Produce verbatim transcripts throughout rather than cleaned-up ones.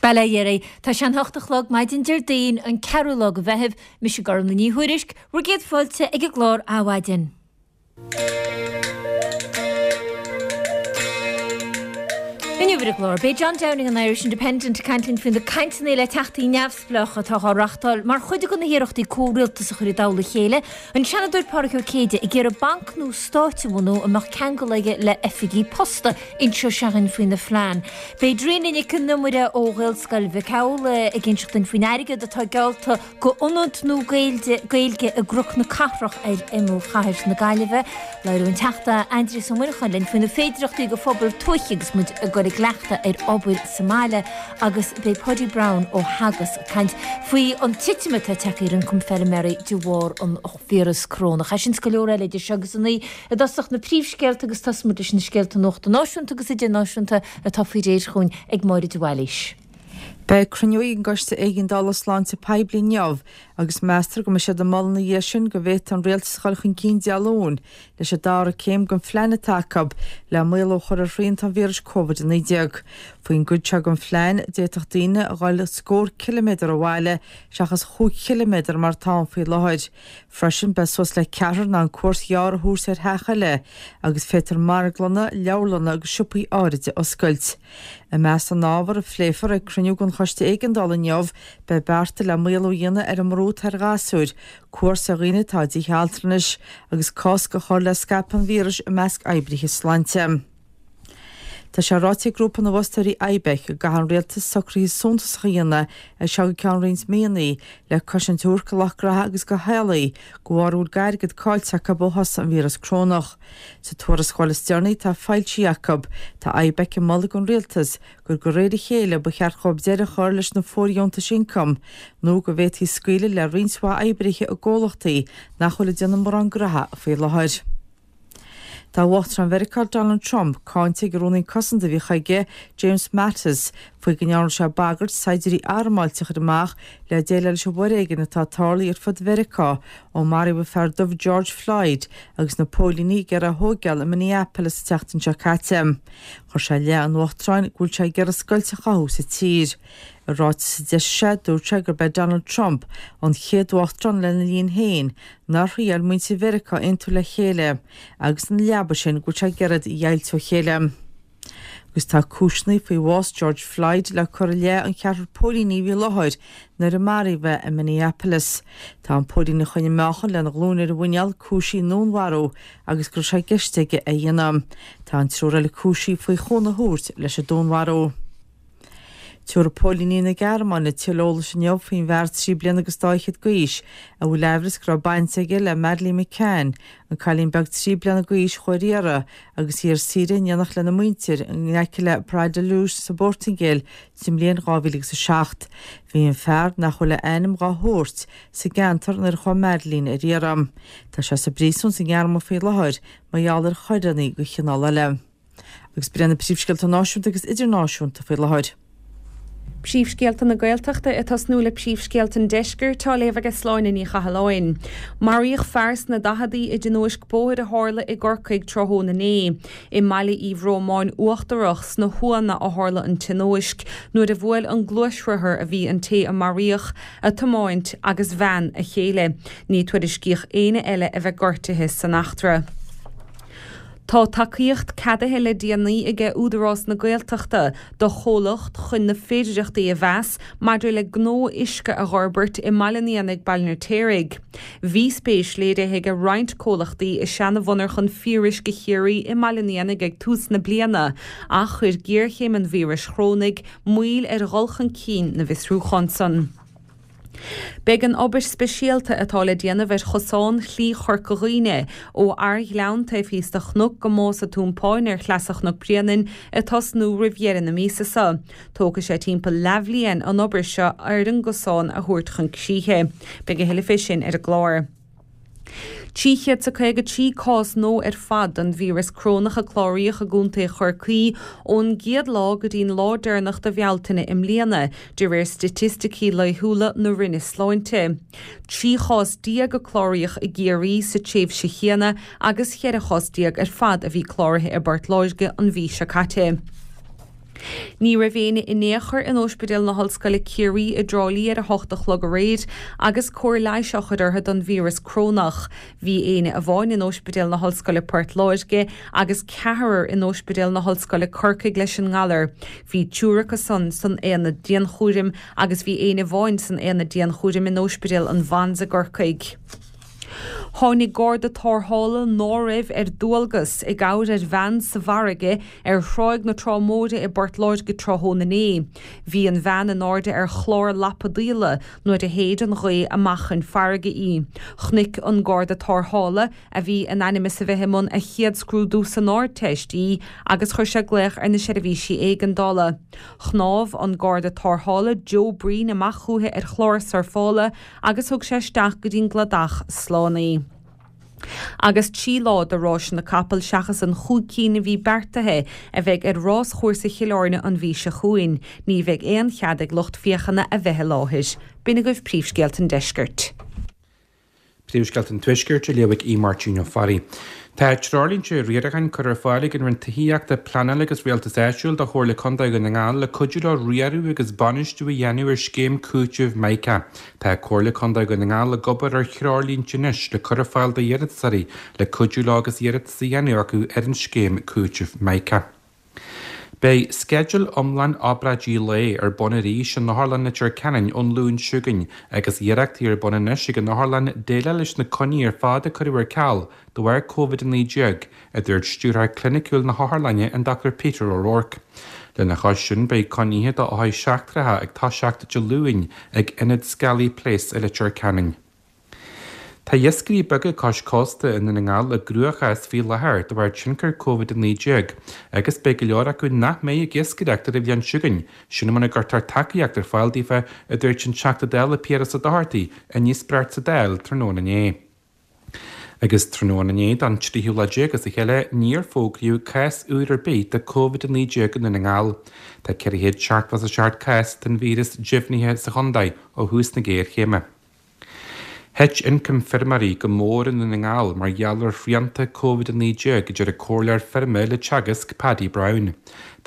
Bail ó Dhia oraibh. Tá sé an hocht a chlog maidin Déardaoin an ceathrú lá de Mheitheamh, mise Gormlaith Ní Thuairisg, bhur gcéad fáilte ag an gclár Adhmhaidin. Inniu ar an gclár, beidh John Downing an Irish Independent ag caint linn faoi na cainteanna le teachtaí neamhspleácha atá á reáchtáil mar chuid de na hiarrachtaí comhrialtas a chur i dtoll a chéile, an Seanadóir Pádraig Ó Céide ag iarraidh banc nua stáit a bhunú a mbeadh ceangal aige le oifigí posta, inseoidh sé dhúinn faoina phlean. Beidh Dríona Nic an Iomaire ó Ghaelscoil Mhic Amhlaigh ag inseacht dúinn faoin airgead atá geallta go ionad nua Gaeilge i gCnoc na Cathrach ar imeall chathair na Gaillimhe. Labhróidh an Teachta Aindrias Ó Muineacháin linn faoi na féidireachtaí do phobail tuaithe agus muid ag dul i gcleachtadh ar obair sa mbaile agus beidh Paudie Browne ó Theagasc ag caint faoi an titim atá tagtha ar ioncam feilméaraí de bharr an víreas corónach. Sin is go leor eile idir seo agus a naoi i dtosach na príomhscéalta agus tosóidh muid leis na scéalta nuachta náisiúnta agus idirnáisiúnta atá faoi réir chugainn ag Máire de Bhailís. Beidh cruinniú ag an gCoiste Éigeandála Sláinte Poiblí inniu agus meastar go mbeidh siad ag moladh ina dhiaidh sin go bhféadfadh an rialtas a dhul chun cinn Dé Luain leis an dara céim den phlean atá acu le maolú a chur ar shrianta an víris Covid a naoi déag. Faoin gcuid seo den phlean, d'fhéadfadh daoine a dhul scór ciliméadar ó bhaile seachas chúig chiliméadar mar atá ann faoi láthair. Freisin, beidh suas le ceathrar in ann cuairt ghearr a thabhairt ar theach eile agus féadfar marglanna, leabharlanna agus siopaí áirid a oscailt. I measc na n-ábhar a phléifear ag cruinniú den Choiste Éigeandála inniu, beidh bearta le maolú a dhéanamh ar an mbrú atá ar ghasúir, cuairt ar dhaoine atá i dtithe altranais agus cosc a chur le scaipeadh an víris i measc oibrithe sláinte. Tá sé ráite ag grúpa na bhfostóirí IBEC go gcaithfidh an rialtas socruithe suntasacha a dhéanamh as seo go ceann roinnt míonna le cosaint a thabhairt do lucht graithe agus do theaghlaigh de bharr a bhfuil d'airgead caillte acu ó thosaigh an víreas crónach. Sa tuarascáil is deireanaí atá foilsithe acu, tá IBEC ag moladh don rialtas gur de réir a chéile ba cheart dhóibh deireadh a chur leis na fóirdheontais ioncaim nó go bhféadfaí scaoileadh le roinnt mhaith oibrithe i gcomhlachtaí nach bhfuil ag déanamh mórán graithe faoi láthair. Tá Uachtarán Mheiriceá Donald Trump cáinte ag an Rúnaí Cosanta a bhí chuige, James Mattis, faoi go ndearna sé bagairt saighdiúirí armáilte a chur amach le déileáil leis an bhforéigean atá tarlaithe ar fud Mheiriceá ó maraíodh an fear dubh George Floyd agus na póilíní ag iarraidh é a thóigeáil i Minneapolis an tseachtain seo caite. Chuir sé i leith an Uachtaráin go bhfuil sé ag iarraidh scoilt a chothú sa tír. I ráiteas a d'eisigh sé, dúirt sé gurb é Donald Trump an chéad uachtarán lena linn féin nár thriail muintir Mheiriceá aontú le chéile agus ina leaba sin go bhfuil sé ag iarraidh iad a dheighilt ó chéile. Agus tá cúiseanna faoi bhás George Floyd le cur i leith an cheathrar póilíní a bhí i láthair nuair a maraíodh é i Minneapolis. Tá an póilín a choinnigh meáchan lena ghlúin ar a mhuineál cúisithe i ndúnmharú agus go raibh sé i gceist aige é a dhéanamh. Tá an triúr eile cúisithe faoi chúnamh a thabhairt leis an dúnmharú. Tabharfaidh póilíní na Gearmáine tuilleadh eolais inniu faoin bhfear trí bliana agus dá fhichead d'aois a bhfuil aimhreas go raibh baint aige le Madeleine McCann, an cailín beag trí bliana d'aois a chuaigh ar iarraidh agus í ar saoire in éineacht lena muintir in aice le Praia da Luz sa bPortaingéil sa mbliain dhá mhíle agus a seacht. Bhí an fear, nach bhfuil a ainm dhá thabhairt, sa gceantar nuair a chuaigh Madeleine ar iarraidh. Tá sé sa bpríosún sa nGearmáin faoi láthair mar gheall ar choireanna de chineál eile. Agus b'in iad na príomhscéalta náisiúnta agus idirnáisiúnta faoi láthair. Príomhscéalta na Gaeltachta ag tosnú le príomhscéalta an Deiscirt á léamh aige Sláine Ní Chathalláin. Maraíodh fear sna daicheadaí i dtionóisc bóthair a tharla i gCorcaigh tráthnóna inné. I mBaile Uí Bhrómáin Uachtarach sna hUanna a tharla an tionóisc nuair a bhuail an gluaisrothar a bhí an té a maraíodh a tiomáint agus bhean a chéile. Ní tuairiscíodh éinne eile a bheith gortaithe san eachtra. Tá tacaíocht ceadaithe le déanaí aige Údarás na Gaeltachta do chomhlacht chun na féidireachtaí a mheas maidir le gnó uisce a dh'fhorbairt i mBaile an Éanaigh, Baile an Fheirtéaraigh. Bhí spéis léirithe aige roinnt comhlachtaí i seana-mhonarchan Fíoruisce Chiarraí i mBaile an Éanaigh ag tús na bliana ach chuir géarchéim an víris chrónaigh moill ar dhul chun cinn na bhfiosrúchán san. Beidh an obair speisialta atá le déanamh ar chosán Shlí Chorca Dhuibhne, ó Arghleann taobh thíos de Chnoc go Mása Tuampáin ar Shleasa Chnoc Bréanainn, ag tosnú roimh dheireadh na míosa seo. Tógfaidh sé timpeall leathbhliain an obair seo ar an gcosán a thabhairt chun críche. Beidh a thuilleadh fé sin ar an gclár. Trí chéad 's a caoga trí cás nua ar fad den víreas crónach a cláraíodh i gContae Chorcaí ón gcéad lá go dtí'n lá deireanach de Bhealtaine i mbliana, de réir staitisticí laethúla na Roinne Sláinte. Trí chás déag a cláraíodh i gCiarraí sa tréimhse chéanna agus cheithre chás déag ar fad a bhí cláraithe i bPort Láirge an mhí seo caite. Ní raibh éinne in aon chor in Ospidéal na hOllscoile Ciarraí i dTrá Lí ar a hocht a chlog aréir agus cóir leighis á chur orthu don víreas corónach. Bhí éinne amháin in Ospidéal na hOllscoile Port Láirge agus ceathrar in Ospidéal na hOllscoile Corcaigh leis an ngalar. Bhí triúr acu san san aonad dianchúraim agus bhí éinne amháin san aonad dianchúraim in Ospidéal an Mhans i gCorcaigh. Tháinig garda tarrthála ná raibh ar dualgas i gcabhair ar bhean sa bhfarraige ar Thráigh na Trá Móire i bPort Láirge tráthnóna inné. Bhí an bhean in airde ar chlár lapadaíola nuair a shéid an ghaoth amach chun farraige í. Chonaic an garda tarrthála, a bhí in ainm is a bheith i mbun a chéad scrúdú san Ardteist, í agus chuir sé glaoch ar na seirbhísí éigeandála. Shnámh an garda tarrthála Joe Breen amach chuici ar chlár surfála agus thug sé isteach go dtí'n gcladach slán í. Agus trí lá de ráiseanna capall seachas an chúig cinn a bhí beartaithe a bheidh ar ráschúrsa Chill Airne an mhí seo chugainn. Ní bheidh aon chead ag lucht féachana a bheith i láthair. B'in agaibh príomhscéalta an deiscirt. Príomhscéalta an Tuaiscirt á léamh ag Aodh Máirtín Ó Fearraigh. Tá treoirlínte riaracháin curtha ar fáil ag an Roinn Tithíochta, Pleanála agus Rialtais Áitiúil do Chomhairle Contae Dhún na nGall le cuidiú leo riaradh agus bainistiú a dhéanamh ar scéim cúitimh Mica. Tá Comhairle Contae Dhún na nGall ag obair ar threoirlínte anois le cur ar fáil d'iarratasóirí le cuidiú leo agus iarratas a dhéanamh acu ar an scéim cúitimh Mica. Beidh sceideal iomlán obráidí lae ar bun arís in Otharlann Leitir Ceanainn ón Luan seo chugainn agus iarrachtaí ar bun anois ag an otharlann déileáil leis na coinní ar fad a cuireadh ar ceal de bharr Covid a naoi déag, a dúirt Stiúrthóir Cliniciúil na hOtharlainne an Dochtúir Peter O'Rourke. Lena chois sin beidh coinnithe d'othair seachtracha ag toiseacht Dé Luain ag Ionad Skelly Place i Leitir Ceanainn. Tá iascairí beaga cois cósta i nDún na nGall i gcruachás faoi láthair de bharr tionchar Covid a naoi déag agus beidh go leor acu nach mbeidh ag iascaireacht ar an bhliain seo chugainn, sin muna gcuirtear tacaíocht ar fáil daofa, a dúirt an Teachta Dála Piaras Ó Dochartaigh i ndíospóireacht sa Dáil tráthnóna inné. Agus tráthnóna inné don tríú lá déag as a chéile níor fógraíodh cás úr ar bith de Covid a naoi déag i nDún na nGall. Tá ceithre chéad seachtó is a seacht cás den víreas deimhnithe sa chontae ó thús na géarchéime. Thit ioncam feirmeoirí go mór i nDún na nGall mar gheall ar shrianta Covid a naoi déag, a deir an comhairleoir feirme le Teagasc, Paddy Browne.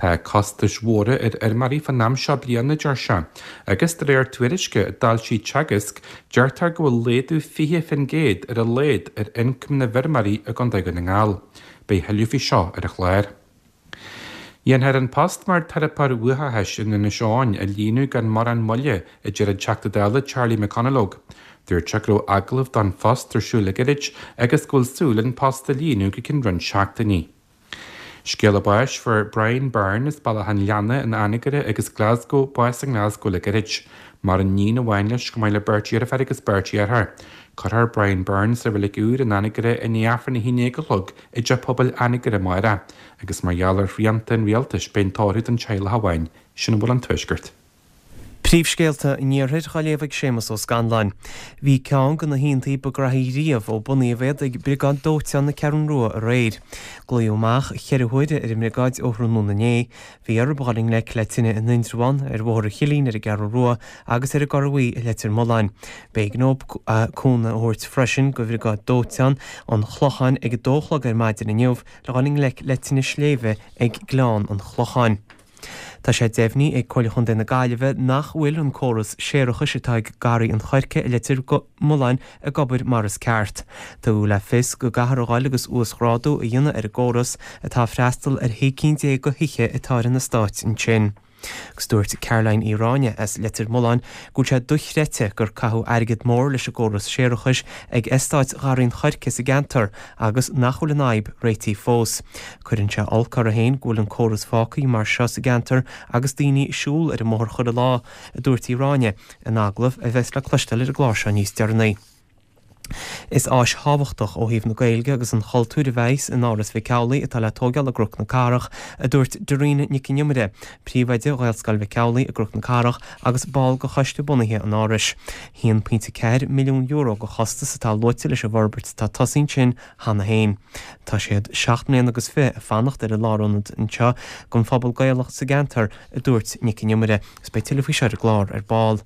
Tá costais mhóra ar fheirmeoirí fán am seo bliana, a deir sé, agus de réir tuairisce a d'fhoilsigh Teagasc, deirtear go bhfuil laghdú fiche faoin gcéad ar a laghad ar ioncam na bhfeirmeoirí i gContae Dhún na nGall. Beidh thuilleadh faoi seo ar an chlár. Dhéanfar an post mar teiripeoir uathachais in Inis Eoghain a líonadh gan mórán moille, a deir an Teachta Dála Charlie McConalogue. Dúirt sé go raibh agallaimh don phost ar siúl le gairid agus go bhfuil súil an post a líonadh go ceann roinnt seachtainí. Scéala báis Fuair Brian Byrne as Bealach an Leanna in Anagaire agus Glasgow bás i nGlasgow le gairid. Maireann iníon amháin leis chomh maith le beirt dheirféar agus beirt dheartháir. Cuirfear Brian Byrne sa reilig úr in Anagaire i ndiaidh Aifreann a haon déag a chlog i dTeach Pobail Anagaire amárach agus mar gheall ar shrianta an rialtais beidh an tórramh don teaghlach amháin. Sin a bhfuil ón Tuaisceart. Príomhscéalta an Iarthair á léamh ag Séamus Ó Scanláin. Bhí ceann de na hoícheantaí ba ghraithí riamh ó bunaíodh iad ag Briogáid Dóiteáin na Ceathrún Rua aréir. Glaodh amach ceithre huaire ar an mbriogáid ó thráthnóna inné. Bhí orthu dul i ngleic le tine in Indreabhán, ar Bhóthar an Chillín ar an gCeathrú Rua agus ar an gCorr Bhuí i Leitir Mealláin. B'éigean dóibh cúnamh a thabhairt freisin do Bhriogáid Dóiteáin an Chlocháin ag a dó a chlog ar maidin inniu le dhul i ngleic le tine sléibhe ag Gleann an Chlocháin. Tá sé deimhnithe ag Comhairle Chontae na Gaillimhe nach bhfuil an córas séarachais atá ag Garraí an Choirce i Leitir Mealláin ag obair mar is ceart. Tugadh le fios go gcaithfear a dhul agus uasghrádú a dhéanamh ar an gcóras atá ag freastal ar shé cinn déag de thithe atá ar an eastát ansin. Agus dúirt Caroline Uí Ráinne as Leitir Mealláin go bhfuil sé dochreidte gur caitheadh airgead mór leis an gcóras séarachais ag eastát Gharraí an Choirce sa gceantar agus nach bhfuil an fhadhb réitithe fós. Cuireann sé olc orthu féin go bhfuil an córas fágtha mar seo sa gceantar agus daoine ag siúl ar an mbóthar chuile lá, a dúirt Uí Ráinne in agallamh a bheas le cloisteáil ar an gclár seo níos deireanaí. Is áis thábhachtach ó thaobh na Gaeilge agus an chultúir a bheas in Áras Mhic Amhlaigh atá le tógáil i gCnoc na Cathrach, a dúirt Dairena Nic an Iomaire, príomhoide Ghaelscoil Mhic Amhlaigh i gCnoc na Cathrach agus ball de choiste bunaithe an Árais. haon pointe ceathair milliún euro de chostas atá luaite leis an bhforbairt atá tosaithe ansin cheana féin. Tá siad seacht mbliana agus fiche ag fanacht ar an lárionad anseo don phobal Gaelach sa gceantar, a dúirt Nic an Iomaire. Agus beidh tuilleadh faoi seo ar an gclár ar ball.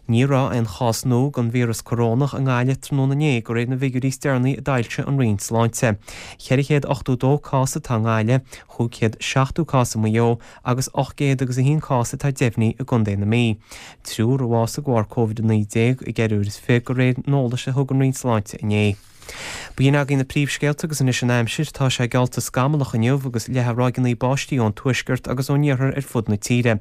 Ní raibh aon chás nua den víreas corónach i nGaillimh tráthnóna inné de réir na bhfigiúirí is deireanaí a d'fhoilsigh an Roinn Sláinte. Ceithre chéad ochtó dó cás atá i nGaillimh, chúig chéad seachtó cás i Maigh Eo agus ocht gcéad agus a haon cás atá deimhnithe i gContae na Mí. Triúr a bhásaigh de bharr Covid a naoi déag i gceithre uair is fiche de réir an eolais a thug an Roinn Sláinte inné. B'in agaibh na príomhscéalta agus anois an aimsir, tá sé geallta scamallach inniu agus leathfaidh ráigeanna báistí ón tuaisceart agus ón iarthar ar fud na tíre.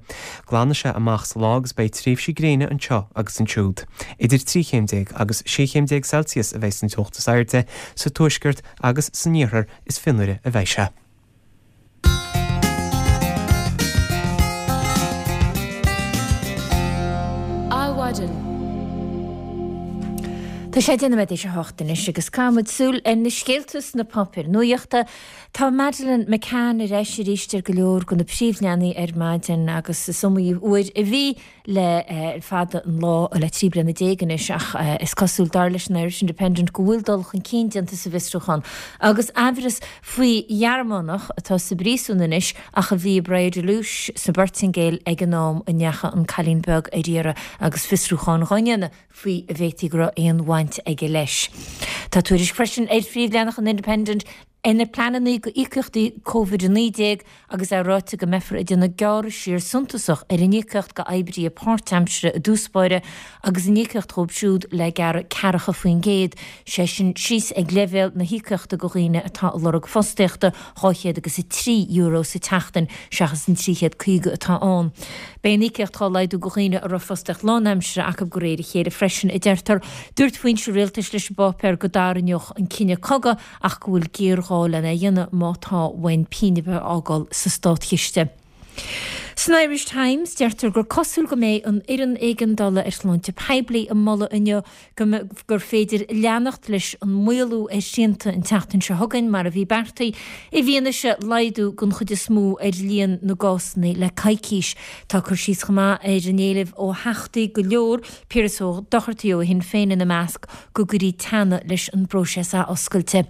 Glanfaidh sé amach sa lá agus beidh tréimhsí gréine anseo agus ansiúd. Idir trí chéim déag agus sé chéim déag Celsius a bheidh an teocht is airde sa tuaisceart agus san iarthar is fionnuaire a bheidh sé. Adhmhaidin. Tá sé deich nóiméad théis a hocht anois agus caithfidh muid súil ar na scéalta sna páipéir nuachta. Tá Madeleine McCann ar ais arís ar go leor de na príomhleathanaigh ar maidin agus is iomaí uair a bhí le fada an lá le trí bliana déag anois ach is cosúil dar leis an Irish Independent go bhfuil dul chun cinn déanta sa bhfiosrúchán agus aimhreas faoi Ghearmánach atá sa bpríosún anois ach a bhí i Praia da Luz sa bPortaingéil ag an am a ndeachaigh an cailín beag ar iarraidh agus fiosrúchán dhá ndéanamh faoi an bhféadfaí go raibh aon bhaint aige leis. Tá tuairisc freisin ar phríomhleathanach an Independent ar na pleananna go íocaíochtaí Covid a naoi déag agus é ráite go mbeifear ag déanamh gearradh siar suntasach ar an íocaíocht go oibrithe páirtaimseartha i dtús báire agus an íocaíocht dhóibh siúd le gearradh ceathracha faoin gcéad, sé sin síos ag leibhéal na híocaíochta go dhaoine atá ag lorg fostaíochta, dhá chéad agus a trí euro sa tseachtain seachas an trí chéad caoga atá ann. Beidh an íocaíocht á laghdú go dhaoine a raibh fostaíocht lánaimseartha acu de réir a chéile freisin, a deirtear. Dúirt foinse rialtais leis an bpáipéar go dtarraingeodh an cinneadh cogadh ach go bhfuil géarghá lena dhéanamh má tá uainn pingin ar bith a fhágáil sa státchiste. San Irish Times, deirtear gur cosúil go mbeidh an fhoireann éigeandála ar shláinte poiblí ag moladh inniu go gur féidir leanacht leis an maolú ar shrianta an tseachtain seo chugainn mar a bhí beartaithe, i bhfianaise laghdú den chuid is mó ar líon na gcásanna le coicís. Tá cur síos chomh maith ar an éileamh ó theachtaí go leor, Piaras Ó Dochartaigh ó Shinn Féin ina measc, go gcuirfí teannadh leis an bpróiseas athoscailte.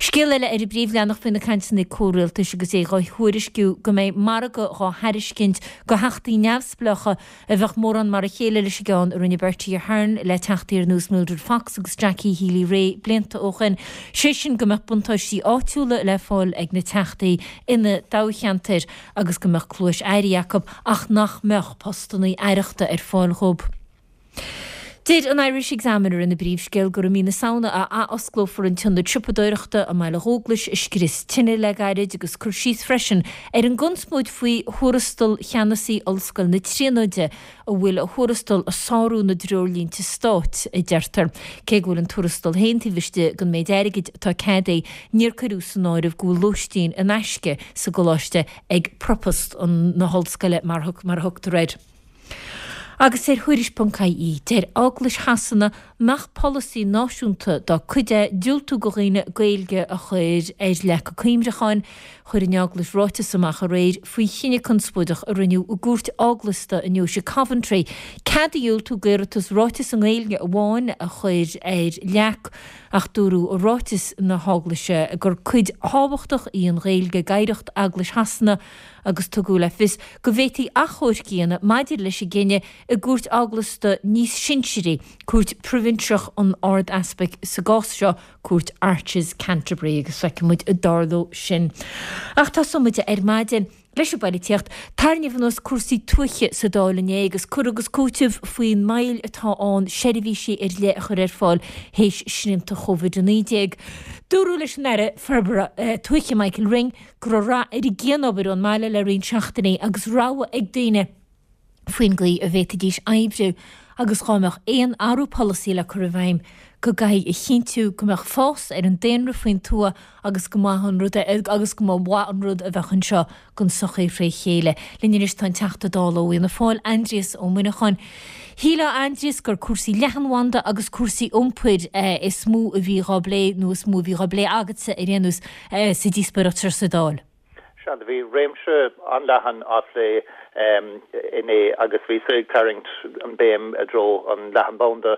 Scéal eile ar an bpríomhleathanach faoi na cainteanna comhrialtais agus é dhá thuairisciú go mbeidh margadh dhá thairiscint go theachtaí neamhspleácha a bheadh mórán mar a chéile leis an gceann a rinne Bertie Ahern le teachtaí ar nós Mildred Fox agus Jackie Healy-Rae blianta ó shin, sé sin go mbeadh buntáistí áitiúla le fáil ag na teachtaí ina dtoghcheantair agus go mbeadh cluais airí acu ach nach mbeadh postanna aireachta ar fáil dhóibh. Deir an Irish Examiner ina bpríomhscéal gur i mí na Samhna a athosclófar an t-ionad siopadóireachta i mBaile Dhúglais a scrios tine le gairid agus cur síos freisin ar an gconspóid faoi thuarastal cheannasaí Ollscoil na Tríonóide a bhfuil a thuarastal ag sárú na dtreoirlínte stáit, a deirtear. Cé go bhfuil an tuarastal féin taobh istigh den méid airgid atá ceadaithe, níor cuireadh san áireamh go bhfuil lóistín in aisce sa gcoláiste ag Propast na hollscoile mar a thugtar air. Agus ar Thuairisc ponc IE, deir Eaglais Shasana nach polasaí náisiúnta dá cuid é diúltú go dhaoine Gaeilge a chur ar leac a cuimhreacháin. Chuir an Eaglais ráiteas amach aréir faoi chinneadh conspóideach a rinneadh i gcúirt eaglasta i ndeoise Coventry cead a dhiúltú d'iarratas ráiteas i nGaeilge amháin a chur ar leac ach dúradh i ráiteas na hEaglaise gur cuid thábhachtach í an Ghaeilge d'oidhreacht Eaglais Shasana agus tugadh le fios go bhféadfaí achomharc a dhéanamh maidir leis an gcinneadh i gcúirt eaglasta níos sinsearaí, cúirt proibhinseach an Ard-Easpaig sa gcás seo, Cúirt Arches, Canterbury, agus feicfidh muid an dtarlóidh sin. Ach tosóidh muid ar maidin leis an bpolaitíocht. Tarraingíodh anuas cúrsaí tuaithe sa Dáil inné agus cur agus cúiteamh faoin moill atá ann seirbhísí ar leith a chur ar fáil théis srianta Chóivid a naoi déag. Dúradh leis an Aire Forbartha Tuaithe Michael Ring go raibh rath ar an gcianobair ón mbaile le roinnt seachtainí agus rogha ag daoine faoin gcaoi a bhféadfaidís oibriú agus dhá mbeadh aon athrú polasaí le cur i bhfeidhm go gcaithfí a chinntiú go mbeadh fás ar an daonra faoin tuath agus go mba an rud agus go mba mhaith an rud a bheadh anseo don tsochaí fré chéile. Linn anois tá an Teachta Dála ó Fhianna Fáil, Aindrias Ó Muineacháin. Shílfeá, a Aindrias, gur cúrsaí leathanbhanda agus cúrsaí iompair is mó a bhí dhá bplé nó is mó a bhí dhá bplé agatsa ar aon nós sa díospóireacht seo sa Dáil. Sea, do bhí réimse an-leathan á phlé inné agus bhíos ag tarraingt an béim i dtreo an leathanbhanda,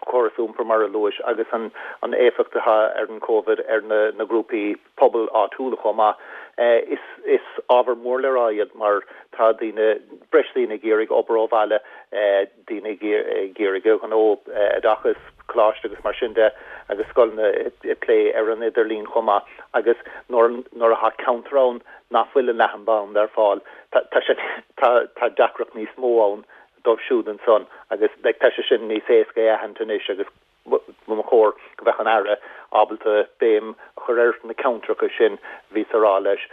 córas iompair mar a luais agus an an éifeacht atá ar an Covid ar na na grúpaí pobail áitiúla chomh maith. Is is ábhar mór le rá iad mar tá daoine, breis daoine ag iarraidh obair ó bhaile, daoine ag iarraidh a ngnó, oideachas, coláiste agus mar sin de agus scoileanna ag plé ar an idirlíon chomh maith agus nuair nuair atá ceantar ann nach bhfuil an leathanbhanda ar fáil tá sé tá tá deacracht níos mó ann dóibh siúd ansan agus like tá sé sin níos éasca a aithint anois agus ba chóir go mbeadh an Aire ábalta béim a chur ar na ceantracha sin bhíos a rá leis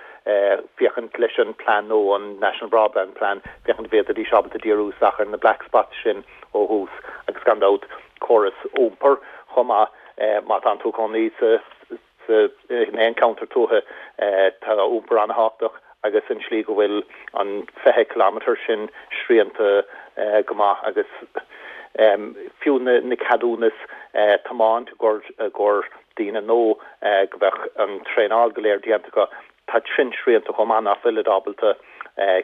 féachaint leis an plean nó an National Broadband Plan, féachaint an bhféadfaidís ábalta díriú isteach ar na black spots sin ó thús agus gan dabht córas iompair chomh maith má tá tú i do chónaí sa sa in aon cheantar tuaithe tá iompar an-thábhachtach agus an slí go bhfuil an fiche kilometre sin srianta go maith agus fiú na na ceadúnas tiomáint i gcomhair daoine nó go mbeadh an traenáil go léir déanta acu tá sin srianta chomh maith nach bhfuilid ábalta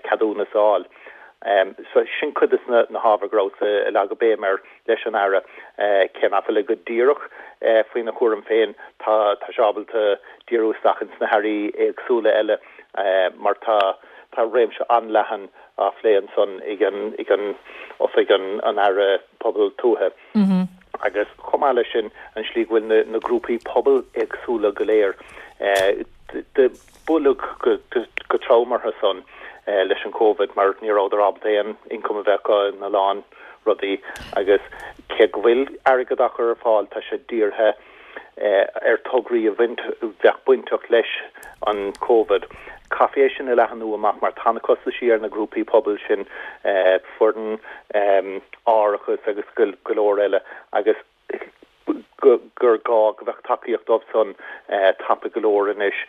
ceadúnas a fháil. So sin cuid de na hábhair go rabhas ag leagadh béim air leis an Aire. Cé nach bhfuil go díreach faoina chúram féin, tá tá sé ábalta díriú isteach ins na hairí éagsúla eile mar tá tá réimse an-leathan á phlé ansan ag an ag an Oifig an an Aire Pobal Tuaithe. Agus chomh maith leis sin an slí go bhfuil na na grúpaí pobail éagsúla go léir de buaileadh go trom orthu san leis an Covid mar ní rabhadar ábalta aon income a bheith acu ina lán rudaí agus cé go bhfuil airgead á chur ar fáil tá sé dírithe ar tograí a bhaint bheadh bainteach leis an Covid. Caithfí é sin a leathanú amach mar tá na costaisí ar na grúpaí pobail sin, foireann, árachas agus go leor eile agus gur gá go mbeadh tacaíocht dóibh san tapa go leor anois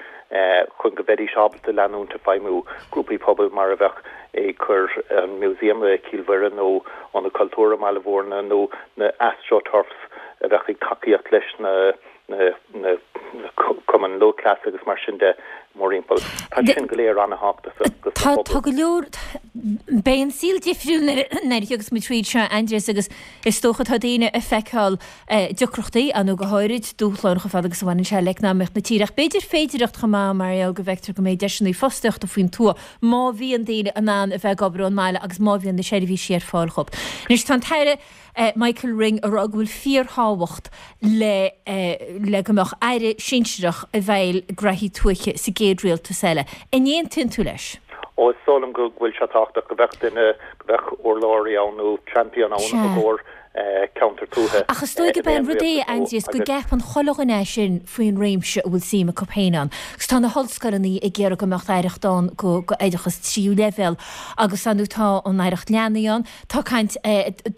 chun go mbeidís ábalta leanúint ag feidhmiú, grúpaí pobail mar a bheadh ag cur an Museum i Cill Mhuire nó Ionad Cultúrtha i mBaile Mhúirne nó na Astroturfs a bheadh ag tacaíocht leis na na cumainn lúthchleas agus mar sin de mórthimpeall. Tá sin go léir an-thábhachtach do Tá tá go leor Beidh an saol difriúil nuair a thiocfas muid tríd seo, Aindrias, agus is dócha tá daoine ag feiceáil deacrachtaí, nó go háirid dúshláin chomh fada agus a bhaineann sé le eacnamaíocht na tíre. Ach b'fhéidir féidireacht chomh maith mar gheall go bhfeictear go mbeidh deiseanna fostaíochta faoin tuath má bhíonn daoine in ann a bheith ag obair ón mbaile agus má bhíonn na seirbhísí ar fáil dhóibh. Anois tá an tAire Michael Ring ag rá go bhfuil fíorthábhacht le le go mbeadh aire sinsearach i bhfeighil graithí tuaithe sa gcéad rialtas eile. An aontaíonn tú leis? Ó, is dóigh liom go bhfuil sé tábhachtach go mbeadh duine, go mbeadh urlabhraí ann nó champion ann i gcomhair ceantar tuaithe. Ach is dóigh gurb é an rud é, a Aindrias, go gceapann chuile dhuine é sin faoin réimse a bhfuil suim acu féin ann. Agus tá na hollscoileanna ag iarraidh go mbeadh aireacht ann go oideachas tríú leibhéal agus ar ndóigh tá an aireacht leanaí ann. Tá caint,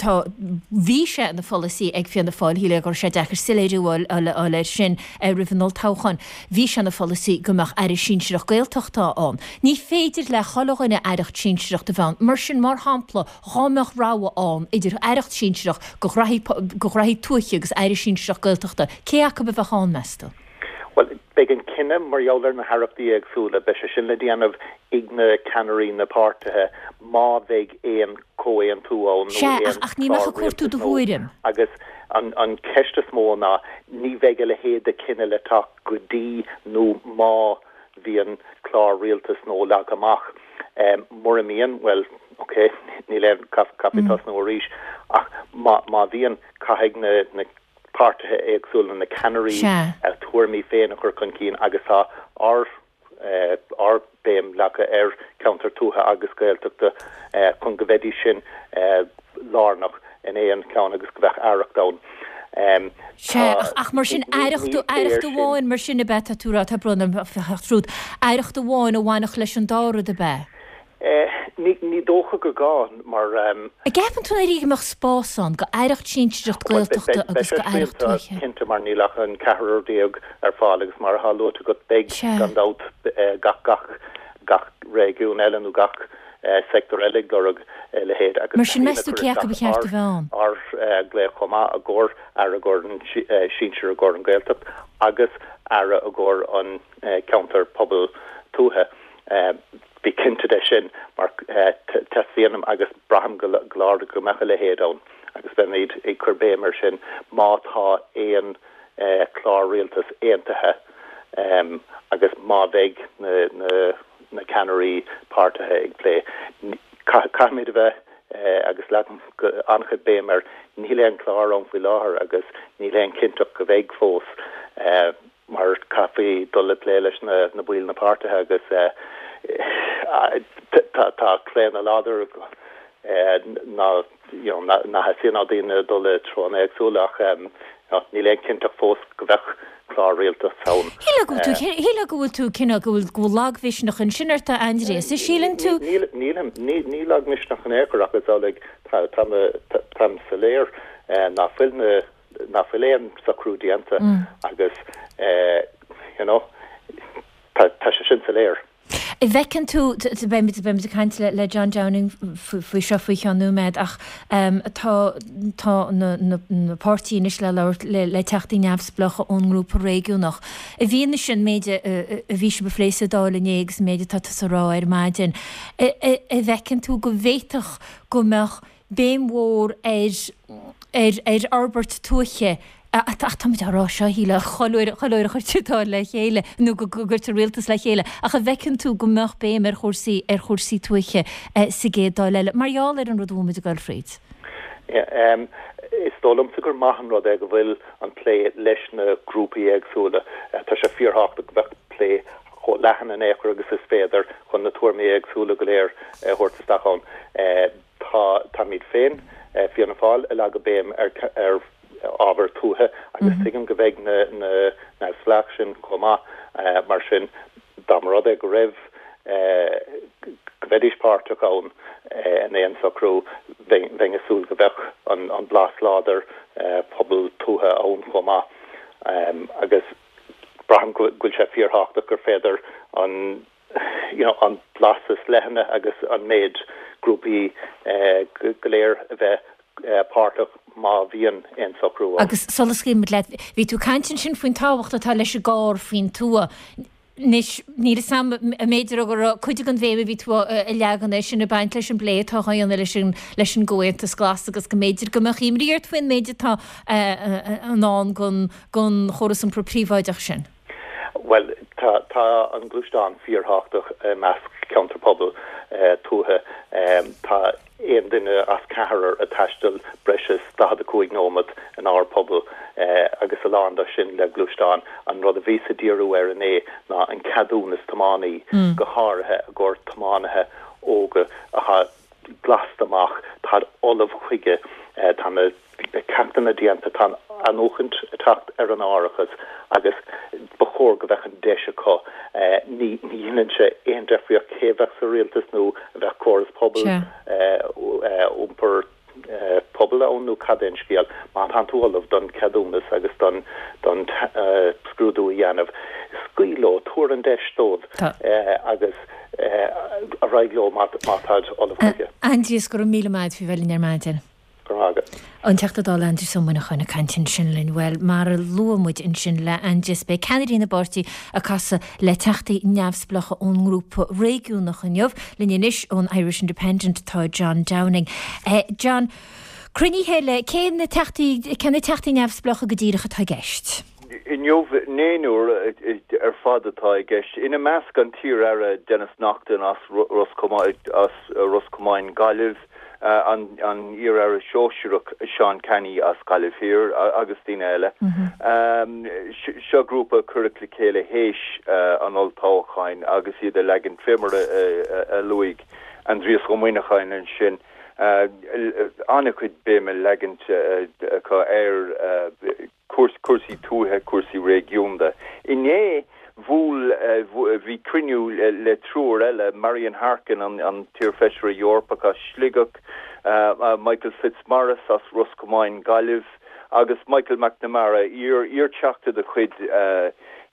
tá, bhí sé ina pholasaí ag Fianna Fáil, shílfeá go raibh sé deacair soiléiriú a fháil air sin roimh an olltoghchán, bhí sé ina pholasaí go mbeadh aire sinsearach Gaeltachta ann. Ní féidir le chuile dhuine aireacht sinsearach a bheith ann. Mar sin, mar shampla, dhá mbeadh rogha ann idir aireacht sinsearach go ghraithí tuaithe agus aire sinsearach Gaeltachta, cé acu a bheadh ann, meas tú? Bhuel, beidh an cinneadh mar gheall ar na haireachtaí éagsúla, beidh sé sin le déanamh ag na ceannairí na páirtithe má bheidh aon chomhaontú ann nó Sea, aon ach ní mbeadh chlár ag cuartú rialtais do nó thuairim. agus an an cheist is mó ná ní bheidh a leithéid de chinneadh le teacht go dtí nó má bhíonn clár rialtais nua leagtha amach. Mura mbíonn, bhuel, ok, níl aon, caithfidh tosnú arís ach má má bhíonn, caithfidh na na páirtithe éagsúla, na ceannairí Sea. a dtuairimí féin a chur chun cinn agus tá ár ár béim leagtha ar cheantar tuaithe agus Gaeltachta chun go mbeidís sin lárnach in aon cheann agus go mbeadh aireacht ann. Sea, ach ach mar sin Ní aireacht ní aireacht léir sin. amháin mar sin ab ea tá tú a rá, tá brón orm a theacht tríot, aireacht amháin a bhainfeadh leis an dá rud ab ea? Ní ní dócha gur gá mar. An gceapann tú go mbeadh spás ann go aireacht sinsearach Bhuel, beidh Gaeltachta beidh agus sé go aireacht srianta tuaithe? cinnte mar níl ach an ceathrar déag ar fáil agus mar atá luaite agat beidh Sea. gan dabht gach gach gach réigiún eile nó gach sector eile ag lorg a leithéid agus Mar sin féin meas a tú chur cé acu ba isteach cheart ár a bheith ann? ár glaoch chomh maith i gcomhair aire i gcomhair an sinsir i gcomhair an Ghaeltacht agus aire i gcomhair an ceantar pobal tuaithe. Bí cinnte de sin mar teastaíonn agus braithim go láidir go mbeadh a leithéid ann agus beimid ag cur béim air sin má tá aon chlár rialtais aontaithe agus má bheidh na ceannairí páirtithe ag plé. Caithfimid a bheith agus leagaim an-chuid béim air, níl aon chlár ann faoi láthair agus níl aon chinnteacht go mbeidh fós mar caithfí dul ag plé leis na baill na páirtithe agus tá claonadh láidir ná ná theastaíonn ó daoine dul i dtreonna éagsúla ach níl aon chinnteacht fós go mbeadh clár rialtais ann. Shílfeá go bhfuil tú cineál, go bhfuil go bhfuil lagmhisneach ansin ort a Aindrias, síleann tú? Nílim, ní lagmhisneach in aon chor ach is amhlaidh táim soiléir ná fuil na ná fuil aon socrú déanta agus you know tá tá sé sin soiléir. An bhfeiceann tú, beimid beimid ag caint le le John Downing faoi seo faoi cheann nóiméad ach tá tá na na na páirtí anois le labhairt le le teachtaí neamhspleácha ón ngrúpa réigiúnach. I bhfianaise an méid a a bhí sibh a phlé sa Dáil inné agus an méid atá tusa a rá ar maidin, an bhfeiceann tú go bhféadfadh go mbeadh béim mhór ar ar ar fhorbairt tuaithe ach táimid á rá seo, shílfeá, chuile uair chuile uair a chuirtear Dáil le chéile nó go gcuirtear rialtas le chéile, ach an bhfeiceann tú go mbeadh béim ar chúrsaí ar chúrsaí tuaithe sa gcéad Dáil eile mar gheall ar an rud a bhfuil muid ag dul fríd? Is dóigh liomsa gur maith an rud é go bhfuil an plé leis na grúpaí éagsúla. Tá sé fíorthábhachtach go mbeadh plé chomh leathan in aon chor agus is féidir chun na tuairimí éagsúla go léir a thabhairt isteach ann. Tá, táimid féin, Fianna Fáil, ag leagadh béim ar, ar ábhar tuaithe agus tuigim go mbeidh na, na neamhspleách sin chomh maith. Mar sin, dá mba rud é go raibh, go mbeidís páirteach ann in aon socrú, bheinn, bheinn ag súil go mbeadh an, an blas láidir pobal tuaithe ann chomh maith. Agus braithim go bhfuil sé fíorthábhachtach gur féidir an you know an blas is leithne agus an méid grúpaí go léir a bheith páirteach má bhíonn aon socrú ann. Agus sula scaoilfimid leat, bhí tú ag caint ansin faoin tábhacht atá leis an gcarr faoin tuath. Anois, níl 'fhios a'm an mb'fhéidir go raibh cuid den bhéim a bhí tú a leagan air sin ag baint leis an bplé atá á dhéanamh leis an leis an gComhaontas Glas agus go mb'fhéidir go mbeadh imní ort faoin méid atá i ndán don don chóras iompair príobháideach sin. Bhuel, tá tá an gluaisteán fíorthábhachtach i measc ceantar pobail tuaithe. Tá aon duine as ceathrar ag taisteal breis is daichead a cúig nóiméad inár bpobal agus a lán de sin le gluaisteán. An rud a bhíos ag díriú air inné ná an ceadúnas tiománaí, go háirithe i gcomhair tiománaithe óga atá glasta amach, táid ullamh chuige, tá na ceachtanna déanta, tá an athnuachaint ag teacht ar an árachas agus ba chóir go mbeadh an deis acu. Ní dhéanann sé aon deifríocht cé a bheadh sa rialtas nó a bheadh córas pobail, iompar pobail ann nó cad é an scéal. Má tánn tú ullamh don cheadúnas agus don don scrúdú a dhéanamh, scaoil leo, tabhair an deis dóibh agus ar aghaidh leo má táid ullamh chuige. Aindrias, go raibh míle maith agat faoi bheith linn ar maidin. Go raibh maith agat. An Teachta Dála Aindrias Ó Muineacháin ag caint ansin linn. Bhuel, mar a luaigh muid ansin le Aindrias, beidh ceannairí na bpáirtí ag casadh le teachtaí neamhspleácha ón ngrúpa réigiúnach inniu. Linn anois ón Irish Independent tá John Downing. John, cruinnithe le cé na teachtaí, cé na teachtaí neamhspleácha go díreach atá i gceist? Inniu, naonúr ar fad atá i gceist, ina measc an t-iar-aire Denis Naughten as Ros Comáin, Gaillimh, an iar-aire sóisearach Seán Canney as Gaillimh Thiar agus daoine eile. Seo grúpa a cuireadh le chéile théis an olltoghcháin agus iad ag leagan fé mar a luaigh Aindrias Ó Muineacháin ansin, an-chuid béime leaganta acu ar cúrsaí tuaithe, cúrsaí réigiúnda. Inné, bhuail, bhí cruinniú le triúr eile, Marian Harkin, an t-iarfheisire Eorpach as Sligeach, Michael Fitzmaurice as Ros Comáin, Gaillimh, agus Michael McNamara, iar-Theachta de chuid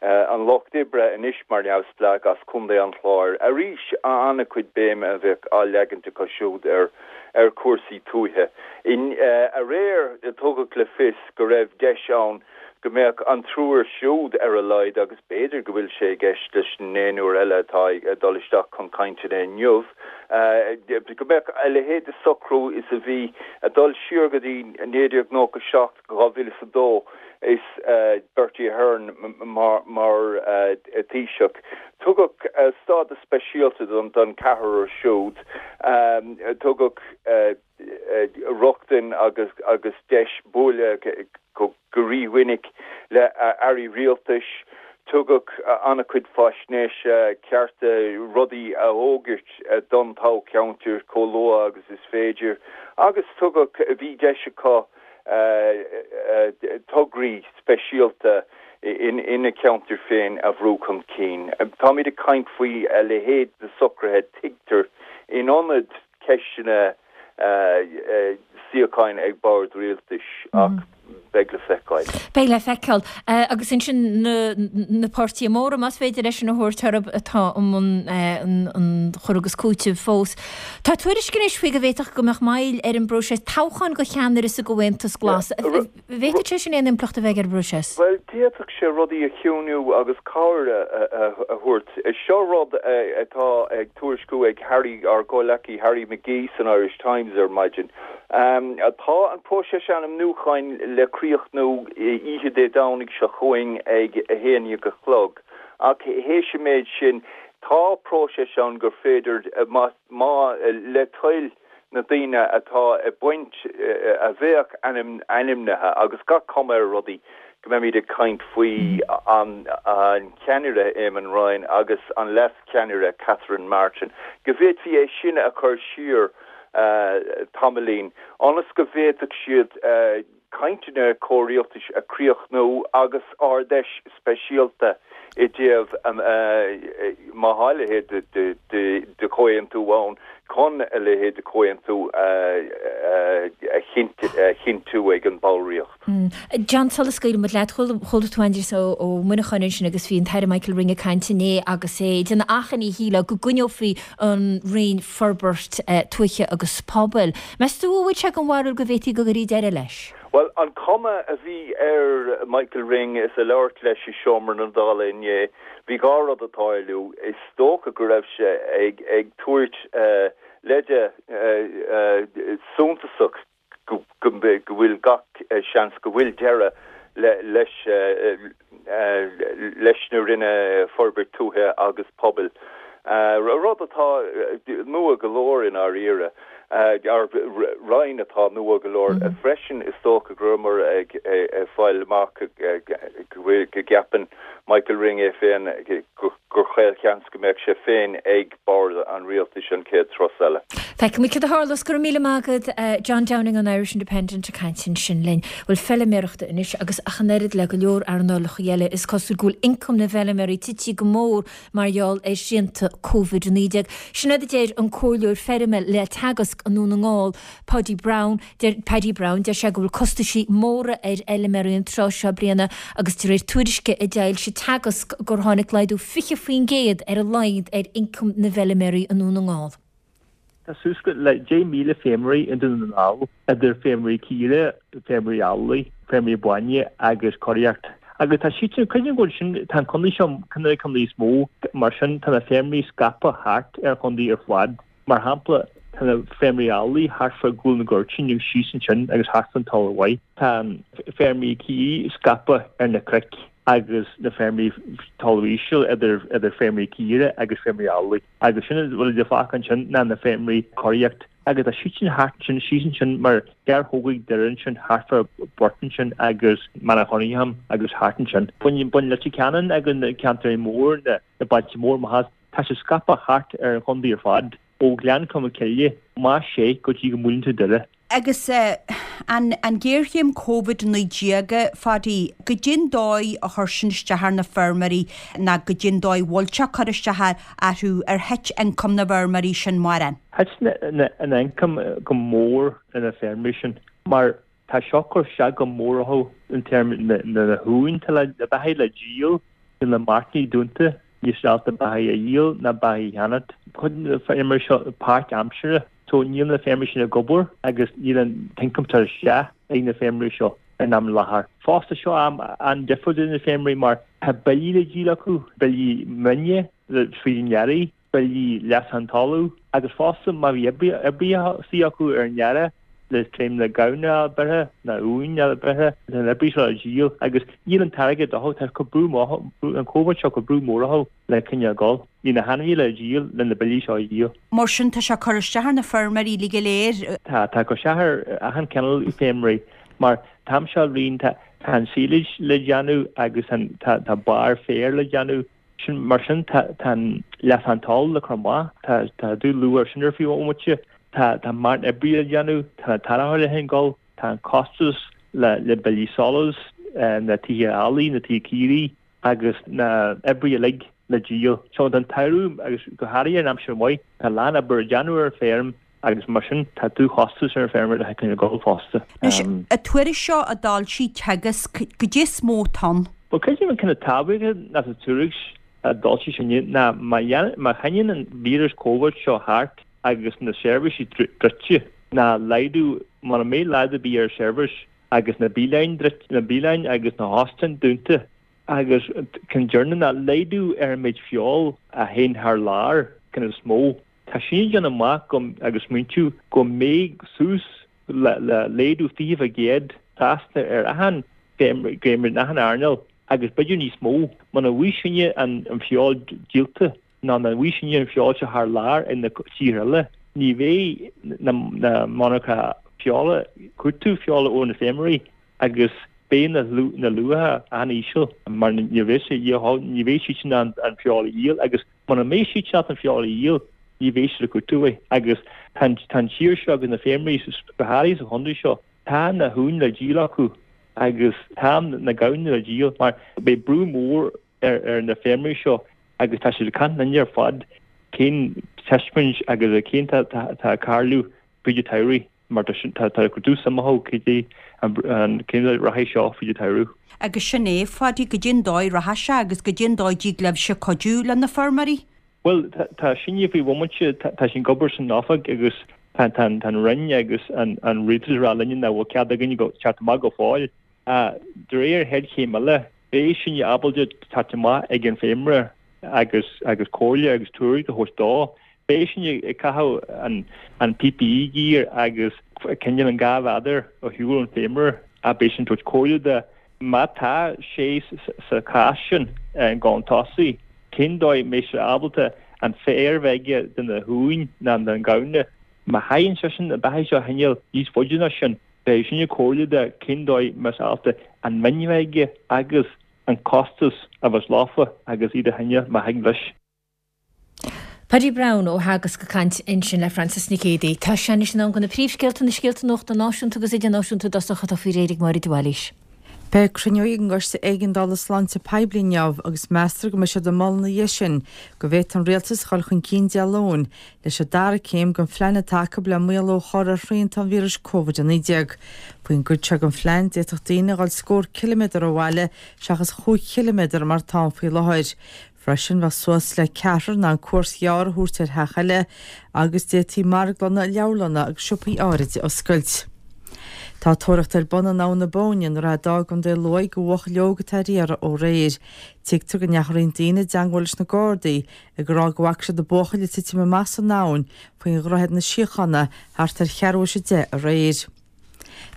an Lucht Oibre, anois mar neamhspleách as Contae an Chláir. Arís, an-chuid béime a bheadh á leagaint acu siúd ar ar chúrsaí tuaithe. Aréir, tugadh le fios go raibh deis ann go mbeadh an triúr siúd ar a laghad, agus b'fhéidir go bhfuil sé i gceist leis an naonúr eile atá ag dul isteach chun cainteanna inniu, go mbeadh a leithéid de socrú is a bhí ag dul siar go dtí naoi déag nócha seacht, dhá mhíle is a dó, is Bertie Ahern mar mar Thaoiseach. Tugadh stádas speisialta don don ceathrar siúd, tugadh rochtain agus agus deis bualadh go rímhinic le airí rialtais, tugadh an-chuid faisnéise, cearta rudaí a fhógairt don toghcheantar chomh luath agus is féidir, agus tugadh, bhí deis acu tograí speisialta ina gceantar féin a bhrú chun cinn. Táimid ag caint faoi a leithéid de socruithe, tuigtear, in ionad ceisteanna suíocháin ag bord rialtais, ach beidh le feiceáil. Beidh le feiceáil. Agus ansin na páirtithe móra, más féidir leis sin a thabhairt orthu, atá i mbun an chur agus cúitimh fós. Tá tuairisc anois faoi go bhféadfadh go mbeadh moill ar an bpróiseas toghcháin do cheannaire sa gComhaontas Glas. Bhféadfadh sé sin aon impleacht a bheith ar an bpróiseas? Bhuel, d'fhéadfadh sé rudaí a chiúnú agus cabhair a thabhairt. Seo rud atá ag tuairisciú ag Harry, ár gcomhleacaí Harry McGee san Irish Times ar maidin. Tá an próiseas ainmniúcháin le críochnú oíche Dé Domhnaigh seo chugainn ag a haon déag a chlog, ach théis an méid sin, tá próiseas ann gur féidir, má, le toil na daoine atá ag baint, a bheadh ainmnithe, agus gach cuma ar rudaí go mbeimid ag caint faoi an ceannaire Eamon Ryan agus an leas-cheannaire Catherine Martin, go bhféadfaí é sin a chur siar tamaillín ionas go bhféadfadh siad cainteanna comhrialtais a chríochnú agus Ard-Fheis speisialta i dtaobh, má tá a leithéid de chomhaontú ann, chun a leithéid de chomhaontú a chinntiú ag an bhallraíocht. John, sula scaoileann muid leat, chuala tú Aindrias Ó Muineacháin ansin agus bhí an tAire Michael Ring ag caint inné agus é ag déanamh achainí, shílfeá, go gcoinneofaí an Roinn Forbairt Tuaithe agus Pobail. Meas tú an bhfuil sé den bharúil go bhféadfaí go gcuirfí deireadh leis? Bhuel, an chuma a bhí ar Michael Ring is ag labhairt leis i seomra na Dála inné, bhí dhá rud ag tarlú. Is dócha go raibh sé ag ag tabhairt leide suntasach go bhfuil gach seans go bhfuil deireadh leis leis na Roinne Forbairt Tuaithe agus Pobail, rud atá nua go leor i ndáiríre, roinn atá nua go leor freisin. Is dócha go rabhamar ag fáil amach go bhfuil, go gceapann Michael Ring é féin gur chaolsheans go mbeadh sé féin ag bord an rialtais an chéad turas eile. Feicfimid cad a tharlós. Go raibh míle maith agat, John Downing ón Irish Independent ag caint ansin linn. Bhuel, feiliméarachta anois agus ach an oiread le go leor earnálacha eile, is cosúil go bhfuil ioncam na bhfeiliméaraí tite go mór mar gheall ar shrianta Covid a naoi déag. Sin é a deir an comhairleoir feirme le Teagasc i nDún na nGall, Paudie Brown. Deir Paddy Brown, deir sé go bhfuil costaisí móra ar fheiliméaraí an tráth seo bliana agus de réir tuairisce a d'fhoilsigh Teagasc gur tháinig laghdú fiche faoin gcéad ar a laghad ar ioncam na bhfeiliméaraí i nDún na nGall. Tá suas le deich míle feirmeoirí i nDún na nGall, idir feirmeoirí caoire, feirmeoirí eallaigh, feirmeoirí bainne agus curaíocht. Agus tá siad sin, cuimhnigh go bhfuil sin, tá an contae seo ceann de na contaetha is mó, mar sin tá na feirmeoirí scaipthe thart ar an chontae ar fad. Mar shampla, tá na feirmeoirí eallaigh thart fá Ghual na gCuirtín agus síos ansin agus thart fán Talamh Mhaith. Tá feirmeoirí caoirigh scaipthe ar na cnoic agus na feirmeoirí talamh íseal idir idir feirmeoirí caoire agus feirmeoirí eallaigh. Agus sin a bhfuil le fágáil ansin ná na feirmeoirí curaíocht. Agus tá siad sin thart ansin, síos ansin mar gearrthóga ag Doire ansin, thart fá Bhurt ansin agus Maenach Choninghamn agus thart ansin. Bain bain Leitir Ceanainn agus na ceantair mór, na na bailte mór amach as. Tá sé scaipthe thart ar an chontae ar fad, ó Ghleann Cholm Cille, más ea, go dtí go mbuaileann tú Doire. Agus an an ghéarchéim Covid a naoi déag, a Phaddy, goidé'n dóigh a chuir sin isteach ar na feirmeoirí ná goidé'n dóigh a bhfuil sé ag cur isteach orthu, ar thit ioncam na bhfeirmeoirí sin mórán? Thit an ioncam go mór ar na feirmeoirí sin mar tá seo ag cur isteach go mór orthu in téarmaí na huain, tá na beathaigh le díol, níl na marcaí dúnta, níl siad ábalta beathaigh a dhíol ná beathaigh a cheannacht. Cuid de na feirmeoirí seo páirtaimseartha. So níl na feirmeoirí sin ag obair agus níl an t-ioncam ag teacht isteach ag na feirmeoirí seo. an am láthair. Fosta seo am an-difriúil do na feirmeoirí mar tá billí le díol acu, billí mine fríd an earraigh, billí leasachán talaimh agus fosta má bhí oibrithe istigh acu ar an earrach le tréim na gamhna a beirthe, na uain a beirthe, tá an oibrí seo le díol agus níl an t-airgead acu, tá cur brú an Covid seo cur brú mór orthu le coinneáil ag dul. Níl na hainmhithe le díol le na billí seo a dhíol. Mar sin tá sé ag cur isteach ar na feirmeoirí uilig go léir. Tá, tá ag cur isteach ar achan cineál feirmeoirí mar an t-am seo bliain tá an silage le déanamh agus tá tá barr féir le déanamh. Sin mar sin tá tá an leasachán talaimh le cur amach, tá tá dúluath ar sin ar fiú ómaite, tá tá martin oibrí le déanamh, tá na tarracóirí le gabháil, tá an costas le le billí solais, na tithe eallaigh, na tithe caoirigh agus na oibrithe uilig le díol. So an t-samhradh agus go háirithe an aimsir mhaith, tá a lán obair a déanamh ar an bhfeirm agus mar sin tá dúchostas ar an bhfeirmeoir le coinneáil ag gabháil fosta. Anois, an tuairisc seo a d'fhoilsigh Teagasc, goidé is mó atá ann? Bhuel, creidim an cineál tábhachtach ná sa tuairisc a d'fhoilsigh sinne ná má má choinníonn an víreas Covid seo thart agus na seirbhísí druidte, ná laghdú, mura mbeidh laghdú ar bith ar seirbhís agus na bialanna druidte, na bialanna agus na hóstáin dúnta agus ceann deireanach ná laghdú ar an méid feoil a théann thar lear, cineál is mó. Tá sin ag déanamh amach go agus smaointiú go mbeidh suas le le laghdú fiche faoin gcéad trasna ar achan feirmeoir in achan earnáil agus b'fhéidir níos mó muna bhfaighidh sinne an an feoil díolta ná muna bhfaighidh sinne an feoil seo thar lear in na tíortha eile ní bheidh na na monarcha feola cuartú feola ó na feirmeoirí agus beidh na na luacha an-íseal mar ní bheidh sé ní bheidh siad in ann an feoil a dhíol agus muna mbeidh siad in ann an feoil a dhíol ní bheidh siad ag cuartú é agus tá an tír seo agus na feirmeoirí go háirithe sa chontae seo tá na huain le díol acu agus tá na gamhna le díol mar beidh brú mór ar ar na feirmeoirí seo agus tá siad ag caint linne ar fad cén tuiscint agus cén tá tá ag tarlú fríd an tsamhraidh mar tá tá cuid suim acu cad é an cén rachaidh seo fríd an tsamhradh. Agus sin é, a Pháidí, goidé an dóigh rachaidh sé agus goidé an dóigh dtig libhse cuidiú le na feirmeoirí? Bhuel, tá sinne faoi bhomaite, tá sinn ag obair san oifig agus tá an Roinn agus an Rialtas ag rá linne nach bhfuil cead againn teacht amach go fóill. De réir an chéad chéim eile, beidh sinne ábalta teacht amach ag an bhfeirmeoir agus agus comhairle agus tuairisc a thabhairt dó. Beidh sinne ag caitheamh an PPE gear agus coinneáil an dhá mhéadar ó shiúl ón bhfeirmeoir ach beidh sinn ag tabhairt comhairle dó má tá sé sa chás sin chun tosaigh. Cén dóigh mbeidh sé ábalta an féar a bheith aige do na huain ná don ghamhna? Má chaithfidh seisean na beathaigh seo a choinneáil níos faide ná sin, beidh sinne ag comhairle dó cén dóigh mbeidh sé ábalta an mhin a bheith aige agus an costas a bheas leofa agus iad a choinneáil má thig leis. Paddy Browne ó Theagasc ag caint ansin le Frances Nic Géadaigh. Tá sé anois in am do na príomhscéalta, na scéalta nuachta náisiúnta agus idirnáisiúnta i dtosach atá faoi réir ag Máire de Bhailís. Beidh cruinniú ag an gCoiste Éigeandála Sláinte Poiblí inniu agus meastar go mbeidh siad ag moladh ina dhiaidh sin go bhféadfadh an Rialtas a dhul chun cinn Dé Luain leis an dara céim den phlean atá acu le maolú a chur ar shrianta an víris Covid a naoi déag. Faoin gcuid seo den phlean d'fhéadfadh daoine a dhul scór ciliméadar ó bhaile seachas chúig chiliméadar mar atá ann faoi láthair. Freisin bheadh suas le ceathrar in ann cuairt ghearr a thabhairt ar theach eile agus d'fhéadfaí marglanna, leabharlanna agus siopaí áirid a oscailt. Tá tóraíocht ar bun in Abhainn na Bóinne i nDroichead Átha i gContae Lú do bhuachaill óg atá ar iarraidh ó aréir. Tuigtear go ndeachaigh roinnt daoine i dteangmháil leis na Gardaí ag rá go bhfaca siad an buachaill ag titim amach san abhainn faoi Dhroichead na Síochána thart ar cheathrú théis a deich aréir.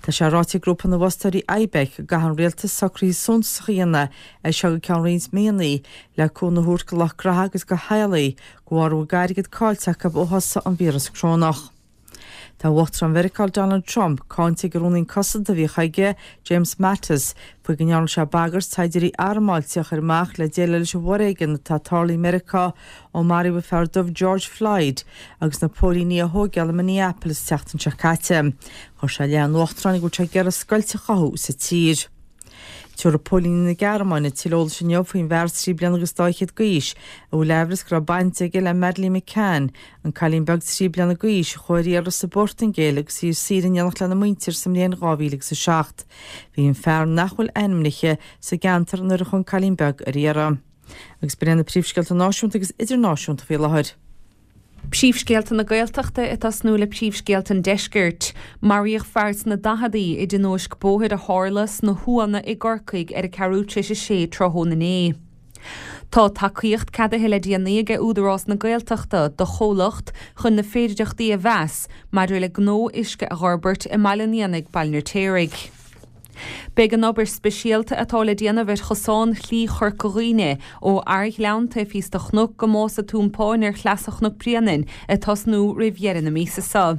Tá sé ráite ag grúpa na bhfostóirí IBEC go gcaithfidh an rialtas socruithe suntasacha a dhéanamh as seo go ceann roinnt míonna le cúnamh a thabhairt do lucht graithe agus do theaghlaigh de bharr a bhfuil d'airgead caillte acu ó thosaigh an víreas corónach. Tá Uachtarán Mheiriceá Donald Trump cáinte ag an Rúnaí Cosanta a bhíodh aige, James Mattis, faoi go ndearna sé bagairt saighdiúirí armáilte a chur amach le déileáil leis an bhforéigean atá ag tarlú i Meiriceá ó maraíodh an fear dubh George Floyd agus na póilíní á thóigeáil i Minneapolis an tseachtain seo caite. Chuir sé i leith an Uachtaráin go bhfuil sé ag iarraidh scoilt a chothú sa tír. Tabharfaidh póilíní na Gearmáine tuilleadh eolais inniu faoin bhfear trí bliana agus dá fhichead d'aois a bhfuil aimhreas go raibh baint aige le Madeleine McCann, an cailín beag trí bliana d'aois a chuaigh ar iarraidh sa bPortaingéil agus í ar saoire in éineacht lena muintir sa mbliain dhá mhíle agus a seacht. Bhí an fear, nach bhfuil ainmnithe, sa gceantar nuair a chuaigh an cailín beag ar iarraidh. Agus b'in iad na príomhscéalta náisiúnta agus idirnáisiúnta faoi láthair. Príomhscéalta na Gaeltachta ag tosnú le príomhscéalta an Deiscirt. Maraíodh fear sna daicheadaí i dtionóisc bóthair a tharla sna hUanna i gCorcaigh ar a ceathrú tar éis a sé tráthnóna inné. Tá tacaíocht ceadaithe le déanaí ag Údarás na Gaeltachta do chomhlacht chun na féidearthachtaí a mheas maidir le gnó uisce a fhorbairt i mBaile an Éanaigh, Baile an Fheirtéaraigh. Beidh an obair speisialta atá le déanamh ar chosán Shlí Chorca Dhuibhne ó Arghleann taobh thíos de chnoc go Mása Tuampáin ar Shleasa Chnoc Bréanainn ag tosnú roimh dheireadh na míosa seo.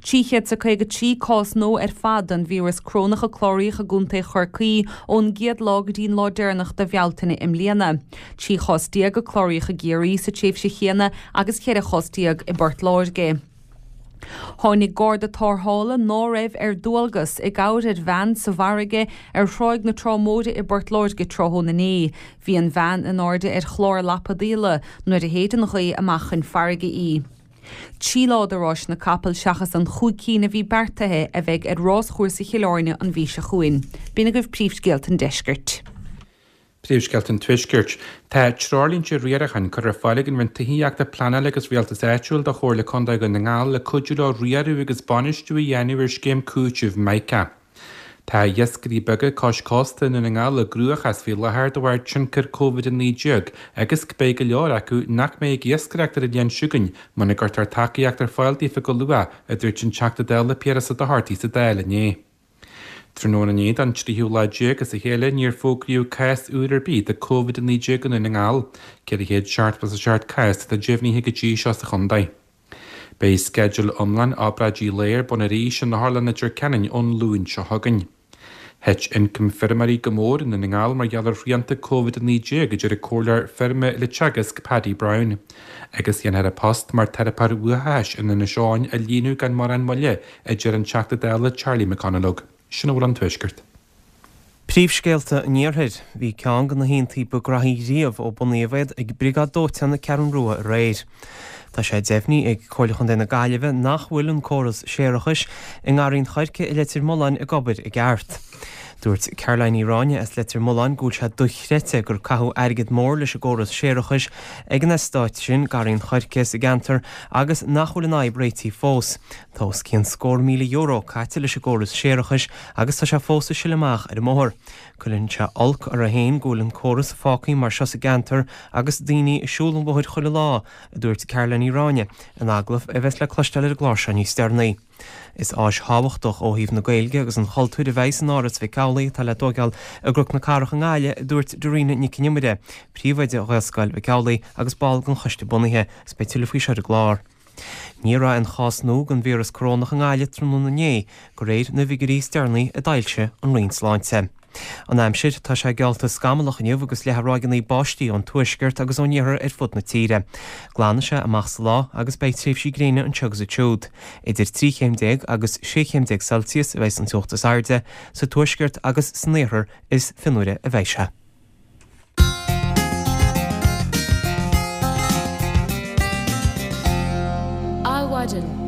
Trí chéad is a caoga trí cás nua ar fad den víreas corónach a cláraíodh i gContae Chorcaí ón gcéad lá go dtí an lá deireanach de Bhealtaine i mbliana. Trí chás déag a cláraíodh i gCiarraí sa tréimhse chéanna agus ceithre chás déag i bPort Láirge. Tháinig garda tarrthála ná raibh ar dualgas i gcabhair ar bhean sa bhfarraige ar Thráigh na Trá Móire i bPort Láirge tráthnóna inné. Bhí an bhean in airde ar chlár lapadaíola nuair a shéid an ghaoth amach chun farraige í. Trí lá de ráis na gcapall seachas an chúig cinn a bhí beartaithe a bheidh ar ráschúrsa Chill Airne an mhí seo chugainn. B'in agaibh príomhscéalta an deiscirt. Príomhscéalta an Tuaiscirt. Tá treoirlínte riaracháin curtha ar fáil ag an Roinn Tithíochta, Pleanála agus Rialtais Áitiúil do Chomhairle Contae Dhún na nGall le cuidiú leo riaradh agus bainistiú a dhéanamh ar scéim cúitimh Mica. Tá iascairí beaga cois cósta i nDún na nGall i gcruachás faoi láthair de bharr tionchar Covid a naoi déag agus beidh go leor acu nach mbeidh ag iascaireacht ar an bhliain seo chugainn muna gcuirtear tacaíocht ar fáil daofa go luath, a dúirt an Teachta Dála Piaras Ó Dochartaigh sa Dáil inné. Tráthnóna inné don tríú lá déag as a chéile níor fógraíodh cás úr ar bith de Covid a naoi déag i nDún na nGall. ceithre chéad seachtó is a seacht cás atá deimhnithe go dtí seo sa chontae. Beidh sceideal iomlán obráidí lae ar bun arís in Otharlann Leitir Ceanainn ón Luan seo chugainn. Thit ioncam feirmeoirí go mór i nDún na nGall mar gheall ar shrianta Covid a naoi déag, a deir an comhairleoir feirme le Teagasc, Paddy Brown. Agus dhéanfar a post mar teiripeoir uathachais in Inis Eoghain a líonadh gan mórán moille, a deir an Teachta Dála Charlie McConalogue. Sin a bhfuil ón Tuaisceart. Príomhscéalta an Iarthair. Bhí ceann de na haontaí ba ghraithí riamh ó bunaíodh iad ag Briogáid Dóiteáin na Ceathrún Rua aréir. Tá sé deimhnithe ag Comhairle Chontae na Gaillimhe nach bhfuil an córas séarachais i nGarraí an Choirce i Leitir Mealláin ag obair i gceart. Dúirt Caroline Ní Ráinne as Leitir Mealláin go bhfuil sé dochreidte gur caitheadh airgead mór leis an gcóras séarachais ag an eastát sin, Garraí an Choirce, sa gceantar agus nach bhfuil an fhadhb réitithe fós. Tá os cionn scór míle euro caite leis an gcóras séarachais agus tá sé fós ag sileadh amach ar an mbóthar. Cuireann sé olc orthu féin go bhfuil an córas fágtha mar seo sa gceantar agus daoine ag siúl an bhóthair chuile lá, a dúirt Caroline Ní Ráinne in agallamh a bheas le cloisteáil ar an gclár seo níos deireanaí. Is áis thábhachtach ó thaobh na Gaeilge agus an chultúir a bheidh san Áras Mhic Amhlaigh atá le tóigeáil i gCnoc na Cathrach i nGaillimh, a dúirt Darina Nic an Iomaire, príomhoide Ghaelscoil Mhic Amhlaigh agus ball den choiste bunaithe, agus beidh tuilleadh faoi seo ar an gclár. Ní raibh aon chás nua den víreas corónach i nGaillimh tráthnóna inné, de réir na bhfigiúirí is deireanaí a d'fhoilsigh an Roinn Sláinte. An aimsir, tá sé geallta scamallach inniu agus leathadh ráigeanna báistí ón tuaisceart agus ón iarthar ar fud na tíre. Glanfaidh sé amach sa lá agus beidh tréimhsí gréine anseo agus ansiúd. Idir trí chéim déag agus sé chéim déag Celsius a bheidh an teocht is airde, sa tuaisceart agus san iarthar is fionnuaire a bheidh sé. Adhmhaidin.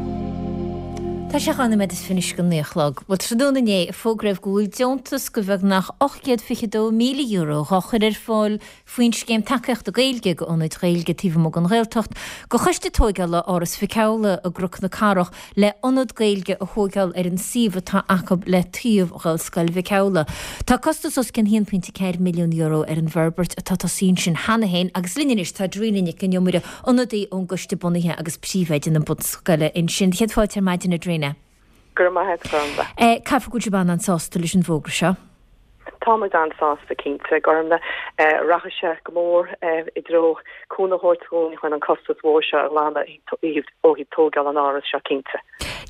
Tá sé dhá nóiméad is fiche anois go naoi a chlog. Bhuel, tráthnóna inné, fógraíodh go bhfuil deontas de bheagnach ocht gcéad fiche dó míle euro dhá chur ar fáil faoin Scéim Tacaíochta Gaeilge go ionaid Ghaeilge taobh amuigh den Ghaeltacht, go Choiste Tóigeála Áras Mhic Amhlaigh i gCnoc na Cathrach le ionad Gaeilge a thóigeáil ar an suíomh atá acu le taobh Ghaelscoil Mhic Amhlaigh. Tá costas os cionn haon pointe ceathair milliún euro ar an bhforbairt atá tosaithe ansin cheana féin agus linn anois tá Darina Nic an Iomaire, ionadaí ón gcoiste bunaithe agus príomhoide na bunscoile ansin. Céad fáilte ar maidin a Darina. Go raibh maith agat, Gormfhlaith. Caithfidh go bhfuil sibh an-sásta leis an bhfógra seo. Tá muid an-sásta, cinnte, Gormfhlaith. Rachaidh sé go mór i dtreo cúnamh a thabhairt dhúinn chun an costas mhór seo a ghlanadh ó thaobh tógáil an áras seo, cinnte.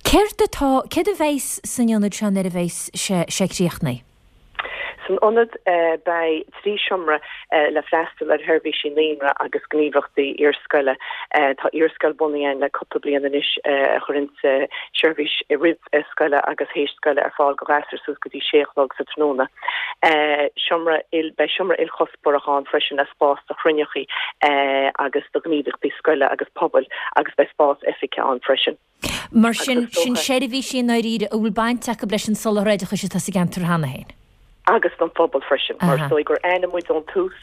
Céard atá, céard a bheas san ionad seo nuair a bheas sé críochnaithe? San ionad beidh trí seomra le freastal ar sheirbhísí naíonra agus gníomhaíochtaí iarscoile. Tá iarscoil bunaithe againn le cúpla bliain anois a chuireann seirbhís roimh scoile agus théis scoile ar fáil do ghasúir suas go dtí sé a chlog sa tráthnóna. Seomra beidh seomra ilchuspóireach ann freisin le spás do chruinneachaí agus do ghníomhaíochtaí scoile agus pobail agus beidh spás oifige ann freisin. Mar sin, sin seirbhísí i ndáiríre a bhfuil baint acu leis an soláthar oideachais atá sa gceantar cheana féin. Agus don phobal freisin, mar is dóigh gur aithin muid ón tús,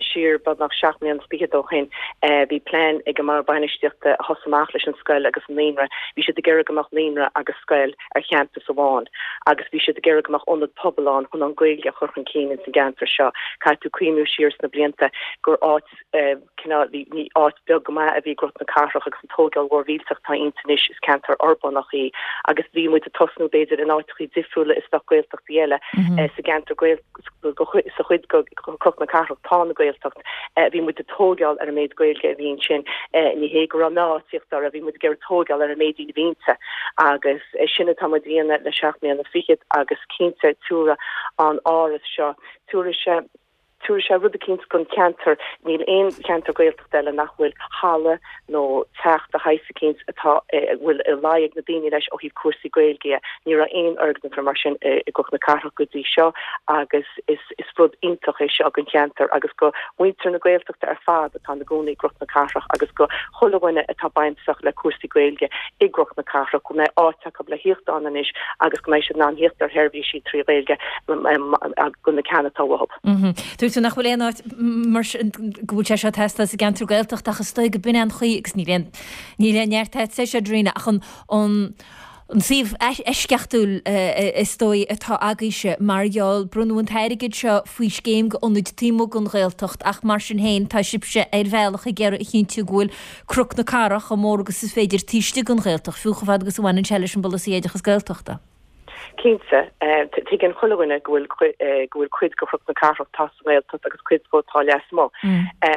siar beagnach seacht mbliana is fichead ó shin, bhí plean ag an mBord Bainistíochta a thosaigh amach leis an scoil agus an naíonra, bhí siad ag iarraidh go mbeadh naíonra agus scoil ar champas amháin agus bhí siad ag iarraidh go mbeadh ionad pobail ann chun an Ghaeilge a chur chun cinn ins an gceantar seo. Caithfidh tú cuimhniú siar sna blianta gur áit cineál, bhí, ní áit beag go maith a bhí i gCnoc na Cathrach agus an tógáil mhór mhillteach atá inti anois, is ceantar uirbeach í agus bhí muid ag tosnú b'fhéidir in áiteachaí difriúla is bheadh Gaeltachtaí eile sa gceantar sa chuid de Chnoc na Cathrach atá ina Gaeltacht. Bhí muid ag tógáil ar an méid Gaeilge a bhí ansin. Ní hé go raibh milleán ag tíocht orthu, bhí muid ag iarraidh tógáil ar an méid daoine a bhí inti agus sin atá muid a dhéanamh le seacht mbliana fichead agus cinnte tabharfaidh an áras seo, tabharfaidh sé, Tabharfaidh sé rud eicínt don cheantar. Níl aon cheantar Gaeltachta eile nach bhfuil halla nó teach de shaghas eicínt atá, a bhfuil luí ag na daoine leis ó thaobh cúrsaí Gaeilge dhe. Ní raibh aon fhoirgneamh mar sin i gCnoc na Cathrach go dtí seo agus is is rud iontach é seo don cheantar agus do mhuintir na Gaeltachta ar fad atá ina gcónaí i gCnoc na Cathrach agus do chuile dhuine atá bainteach le cúrsaí Gaeilge i gCnoc na Cathrach go mbeidh áit acu le thíocht ann anois agus go mbeidh siad in ann thíocht ar sheirbhísí trí Ghaeilge do na ceanna atá uathu. Dúirt tú nach bhfuil aon áit mar sin go bhfuil sé seo ag teastáil sa gceantar Gaeltachta ach is dóigh go b'in é an chaoi agus níl aon níl aon neart agat é seo Darina ach an an an suíomh eisceachtúil is dóigh atá agaibhse mar gheall bronnadh an t-airgead seo faoi scéim go ionaid taobh amuigh den Ghaeltacht ach mar sin féin tá sibhse ar bhealach ag iarraidh a chinntiú go bhfuil Cnoc na Cathrach chomh mór agus is féidir taobh istigh den Ghaeltacht fiú chomh fada agus a bhaineann sé leis an bpolasaí oideachas Gaeltachta. Cinnte, tuigeann chuile dhuine go bhfuil go bhfuil cuid de Chnoc na Cathrach atá sa nGaeltacht agus cuid dhó atá lasmuigh.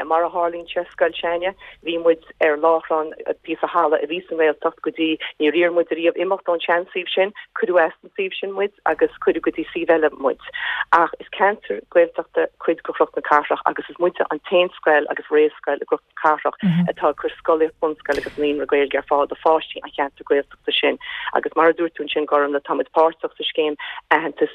Mar a tharlaíonn sé, scoil s'againne, bhí muid ar láithreán píosa thalamh a bhí sa nGaeltacht go dtí níor iarr muid ariamh imeacht ón seansuíomh sin, cuireadh as an suíomh sin muid agus cuireadh go dtí suíomh eile muid. Ach is ceantar Gaeltachta cuid de Chnoc na Cathrach agus is muide an t-aon scoil agus réamhscoil i gCnoc na Cathrach atá ag cur scolaíocht bunscoile agus naíonra Gaeilge ar fáil do pháistí an cheantair Gaeltachta. sin. Agus mar a dúirt tú ansin, Gormlaith, tá muid páirteach sa scéim aitheantas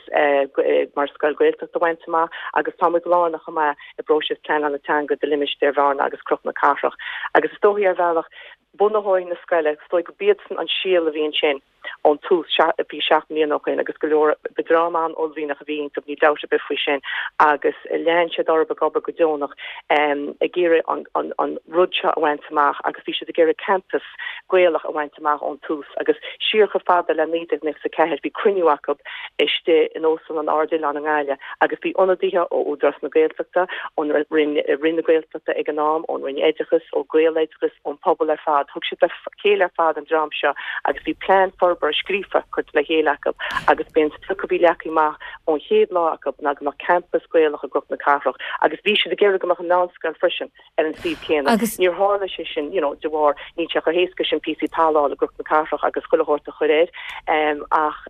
mar scoil Ghaeltachta a bhaint amach agus tá muid lárnach chomh maith i bpróiseas pleanála teanga do limistéar Bhearna agus Cnoc na Cathrach. Agus is dóichí ar bhealach, bunaitheoirí na scoile, is dóigh go b'iadsan an síol a bhí ansin ón tús, bhí seacht mbliana ó shin agus go leor, ba dream an-uaillmhianach a bhí iontu, níl dabht ar bith faoi sin, agus lean siad orthu ag obair go deonach ag iarraidh an, an rud seo a bhaint amach agus bhí siad ag iarraidh campas Gaelach a bhaint amach ón tús agus siar chomh fada le naoi déag nócha a ceathair bhí cruinniú acu istigh in Óstlann an Ard Oileáin i nGaillimh agus bhí ionadaithe ó Údarás na Gaeltachta, ón Roinn, Roinn na Gaeltachta ag an am, ón Roinn Oideachais, ó Gaeloideachas, ón pobal ar fad. Thug siad le chéile ar fad an dream seo agus bhí plean forbartha scríofa curtha le chéile acu agus b'é an sprioc a bhí leagtha amach ón chéad lá acu ná go mbeadh campas Gaelach i gCnoc na Cathrach agus bhí siad ag iarraidh go mbeadh an mheánscoil freisin ar an suíomh céanna. Agus. Níor tharla sé sin, you know, de bharr, níl sé chomh héasca sin píosaí talaimh a fháil i gCnoc na Cathrach agus chuile shórt a chur air, ach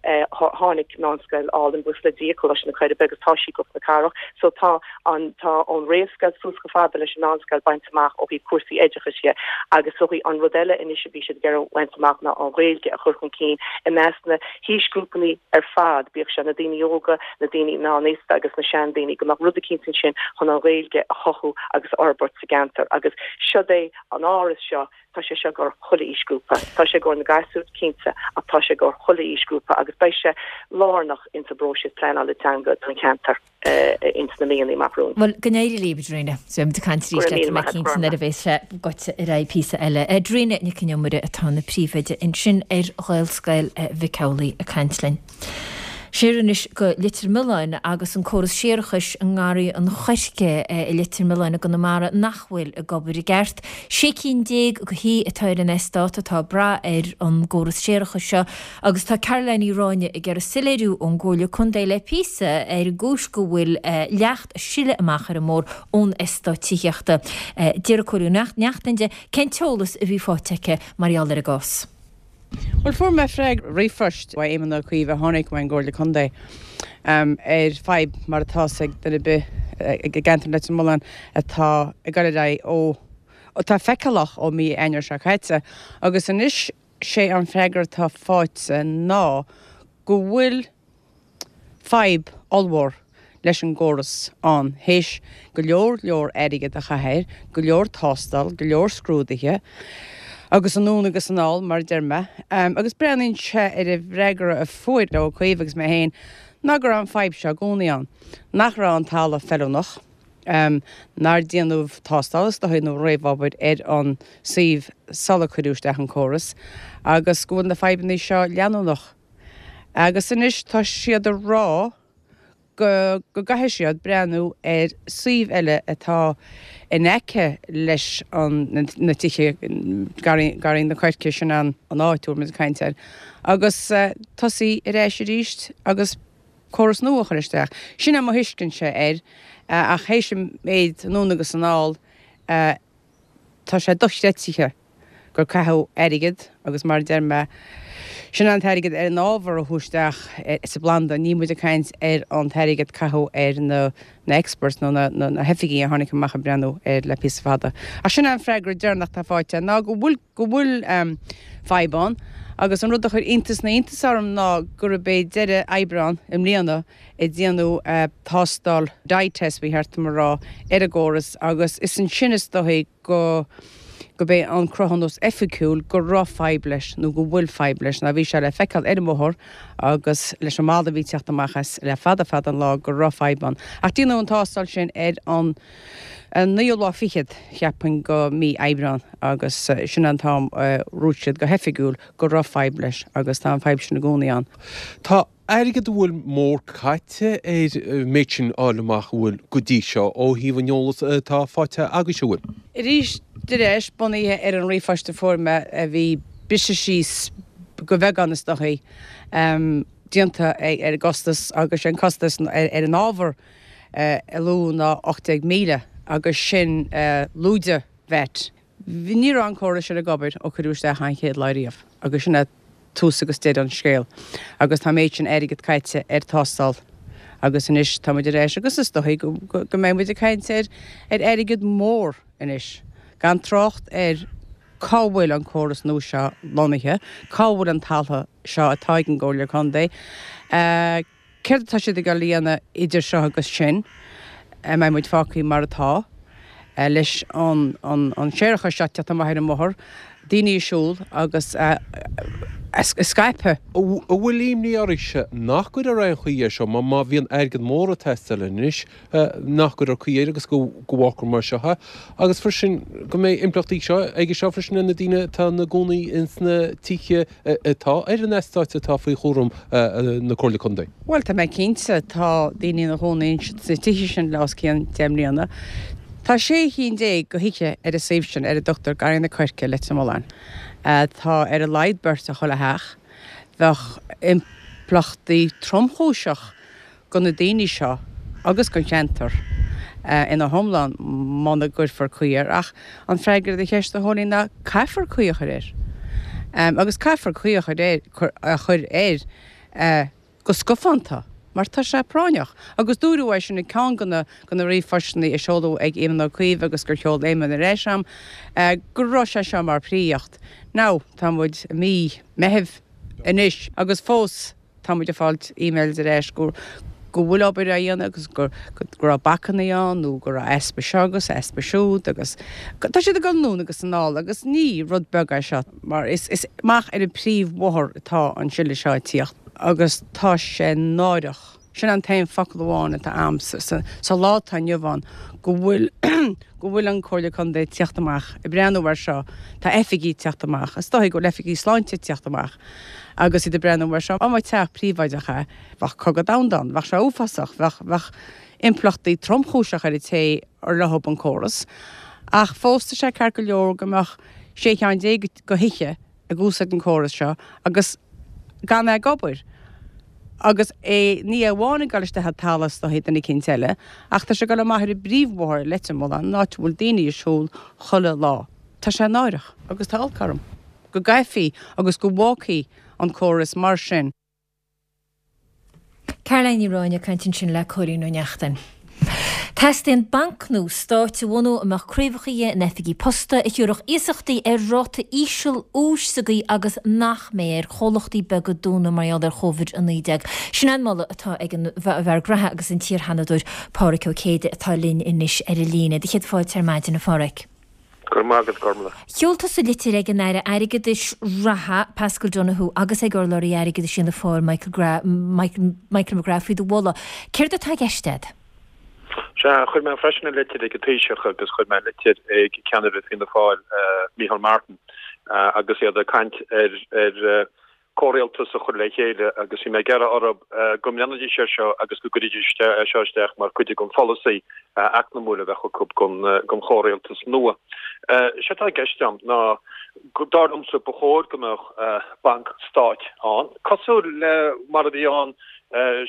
tháinig meánscoil álainn, buíochas le Dia, Coláiste na Coiribe agus tá sí i gCnoc na Cathrach. So tá an, tá ón réamhscoil suas chomh fada leis an meánscoil bainte amach ó thaobh cúrsaí oideachais dhe. Agus so an rud eile anois a bhí siad ag iarraidh a bhaint amach ná an Ghaeilge a chur chun cinn i measc na haoisghrúpanna ar fad, bíodh sé na daoine óga, na daoine meánaosta agus na seandaoine, go mbeadh rud eicínt ansin chun an Ghaeilge a chothú agus a fhorbairt sa gceantar. Agus siod é an áras seo, tá sé seo i gcomhair chuile aoisghrúpa. Tá sé i gcomhair na gasúr, cinnte, ach tá sé i gcomhair chuile aoisghrúpa agus beidh sé lárnach ins an bpróiseas pleanála teanga don cheantar ins na míonna amach romhainn. Bhuel, go n-éirí libh, a Darina. Beidh muid ag caint arís leat, tá mé cinnte, nuair a bheas sé goite ar aghaidh píosa eile. Darina Nic an Iomaire atá ina príomhoide ansin ar Ghaelscoil Mhic Amhlaigh ag caint linn. Siar anois go Leitir Mealláin agus an córas séarachais i nGarraí an Choirce i Leitir Mealláin i gConamara nach bhfuil ag obair i gceart. Sé cinn déag de thithe atá ar an eastát atá ag brath ar an gcóras séarachais seo agus tá Caroline Ní Ráinne ag iarraidh soiléiriú ón gComhairle Contae le píosa ar an gcúis go bhfuil leacht ag sileadh amach ar an mbóthar ón eastát tithíochta. D'iarr Cóilín Ó Neachtain di cén t-eolas a bhí faighte aici mar gheall ar an gcás. Bhuel, fuair mé freagra ríomhphoist ó Éamon Ó Cuív a tháinig ón gComhairle Contae ar fadhb mar atá ag duine ar bith i gceantar Leitir Mealláin atá ag dul ar aghaidh ó atá feiceálach ó mí Eanáir seo caite agus anois sé an freagra atá faighte ná go bhfuil fadhb ollmhór leis an gcóras ann, théis go leor leor airgead a chaitheamh air, go leor tástáil, go leor scrúduithe Agus anonn agus anall, mar a deir mé. Agus breathnaíonn sé ar an bhfreagra a fuair Ó Cuív agus mé féin ná go raibh an fadhb seo i gcónaí ann, nach raibh an talamh feiliúnach, nár déanadh tástáil is dóigh nó réamhobair ar an suíomh sular cuireadh isteach an córas agus go bhfuil na fadhbanna seo leanúnach. Agus anois tá siad ag rá go go gcaithfidh siad breathnú ar suíomh eile atá in aice leis an na tithe, Garraí na Coirce, sin an áit a bhfuil muid ag caint air, agus tosaí ar ais arís agus córas nua a chur isteach. Sin é mo thuiscintse air ach théis an méid anonn agus anall, tá sé dochreidte gur caitheadh airgead agus mar a deir mé, sin an t-airgead ar an ábhar a chuaigh isteach sa bplanda, níl muid ag caint ar an t-airgead caitheadh ar na na experts nó na na hoifigigh a tháinig amach ag breathnú air le píosa fada. Ach sin é an freagra deireanach atá faighte ná go bhfuil go bhfuil fadhb ann agus an rud a chuir iontas na n-iontas orm ná gurb é deireadh Aibreán i mbliana a déanadh tástáil dye test ba cheart dom a rá ar an gcóras agus is ansin is dóigh go gurb é an cruthúnas oifigiúil go raibh fadhb leis nó go bhfuil fadhb leis ná bhí sé le feiceáil ar an mbóthar agus leis an mboladh a bhí ag teacht amach as le fada fada an lá go raibh fadhb ann. Ach déanadh an tástáil sin ar an naoú lá fichead, cheapfainn, go mí Aibreán agus sin an t-am a dhúirt siad go hoifigiúil go raibh fadhb leis agus tá an fadhb sin i gcónaí ann. Tá airgead a bhfuil mór caite ar an méid sin a fháil amach an bhfuil go dtí seo ó thaobh an eolas atá faighte agaibhse an bhfuil. Arís ar ais, bunaithe ar an ríomhphost a fuair mé a bhí briste síos go bheagán is dóichí, déanta ar an gcostas agus sé an costas ar an ábhar a luadh ná ocht déag míle agus sin lúide VAT. Ní raibh an córas sin ag obair ó cuireadh isteach an chéad lá riamh agus sin é tús agus deireadh an scéil agus tá an méid sin airgead caite ar tástáil agus anois tá muid ar ais agus is dóichí go go mbeidh muid ag caint ar ar airgead mór anois gan trácht ar cá bhfuil an córas nua seo lonnaithe, cá bhfuil an talamh seo atá ag an gComhairle Contae. Céard atá siad ag dul a dhéanamh idir seo agus sin? An mbeidh muid fágtha mar atá, leis an séarachas seo ag teacht amach ar an mbóthar, daoine ag siúl agus ag scaipeadh? An bhfuil imní oraibhse nach gcuirfear aon chaoi air seo, má bhíonn airgead mór ag teastáil anois, nach gcuirfear caoi air agus go bhfágfar mar seo é, agus freisin go mbeidh impleachtaí aige seo freisin ar na daoine atá ina gcónaí ins na tithe atá ar an eastát atá faoi chúram na Comhairle Contae? Bhuel, tá mé cinnte, tá daoine ina gcónaí sna tithe sin le os cionn deich mbliana. Tá sé chinn déag go thithe ar an suíomh sin ar a dtugtar Garraí na Coirce, Leitir Mealláin. Tá ar a laghad beirt i chuile theach. Bheadh impleachtaí tromchúiseach go na daoine seo agus don cheantar ina hiomlán muna gcuirfear caoi air. Ach an freagra ar do cheist, a Chóilín, ná caithfear caoi a chur air. Agus caithfear caoi a chur air, a chur air go scafánta mar tá sé práinneach. Agus dúradh é sin i gceann de na de na ríomhphostanna a seoladh ag Éamon Ó Cuív agus gur sheol Éamon ar ais a'm go raibh sé seo mar phríomhaíocht. Now, tá muid i mí Meithimh anois agus fós Tá muid ag fáilt emails ar ais go go bhfuil obair á dhéanamh agus go go raibh bacanna ann nó go raibh easpa seo agus easpa siúd agus tá siad ag dul anonn agus anall agus ní rud beag é seo mar is is amach ar an príomhbhóthar atá an sileadh seo ag tíocht agus tá sé náireach. Sin an t-aon focal amháin atá a'm sa sa lá atá inniu ann go bhfuil go bhfuil an Comhairle Contae ag tíocht amach ag breathnú air seo, tá oifigigh ag tíocht amach, is dóigh go bhfuil oifigigh sláinte ag tíocht amach agus iad ag breathnú air seo. Dá mba teach príobháideach é, bheadh cogadh domhanda ann, bheadh sé uafásach, bheadh bheadh impleachtaí tromchúiseach ar an té ar leo an córas. Ach fós tá sé ceart go leor go mbeadh sé cheann déag go thithe ag úsáid an córas seo agus gan é ag obair. Agus é ní amháin ag dul isteach i dtalamh is dóichí duine eicínt eile, ach tá sé ag dul amach ar an bpríomhbhóthar i Leitir Mealláin, an áit a bhfuil daoine ag siúl chuile lá. Tá sé náireach agus tá olc orm go gcaithfí agus go bhfágfaí an córas mar sin. Caroline Ní Ráinne ag caint ansin le Cóilín Ó Neachtain. Teastaíonn banc nua stáit a bhunú a mbeadh craobhacha dhe in oifigí posta, a thiúrfadh iasachtaí ar ráta íseal úis sa gcaoi agus nach mbeidh ar chomhlachtaí beaga dúnadh mar gheall ar Chóivid a naoi déag. Sin an moladh atá ag an bhfear graithe agus an t-iar-Sheanadóir Pádhraic Ó Céide atá linn anois ar an líne. Do chéad fáilte ar maidin, a Phádhraic. Go raibh maith agat, Gormlaith. Sheol tusa litir ag an Aire Airgeadais reatha, Paschal Donohoe, agus ag urlabhraí airgeadais Fhianna Fáil, Michael Michael McGrath faoi do mholadh. Céard atá i gceist agat? Sea, chuir mé freisin litir ag an Taoiseach agus chuir mé litir ag ceannaire Fianna Fáil, Micheál Martin, agus iad ag caint ar ar comhrialtas a chur le chéile agus bhí mé ag iarraidh orthu go mbreathnóidís air seo agus go gcuirfidís é seo isteach mar chuid den pholasaí eacnamúil a bheadh acu don chomhrialtas nua. Sé atá i gceist agam ná dar liomsa ba chóir go mbeadh banc stáit ann, cosúil le mar a bhí ann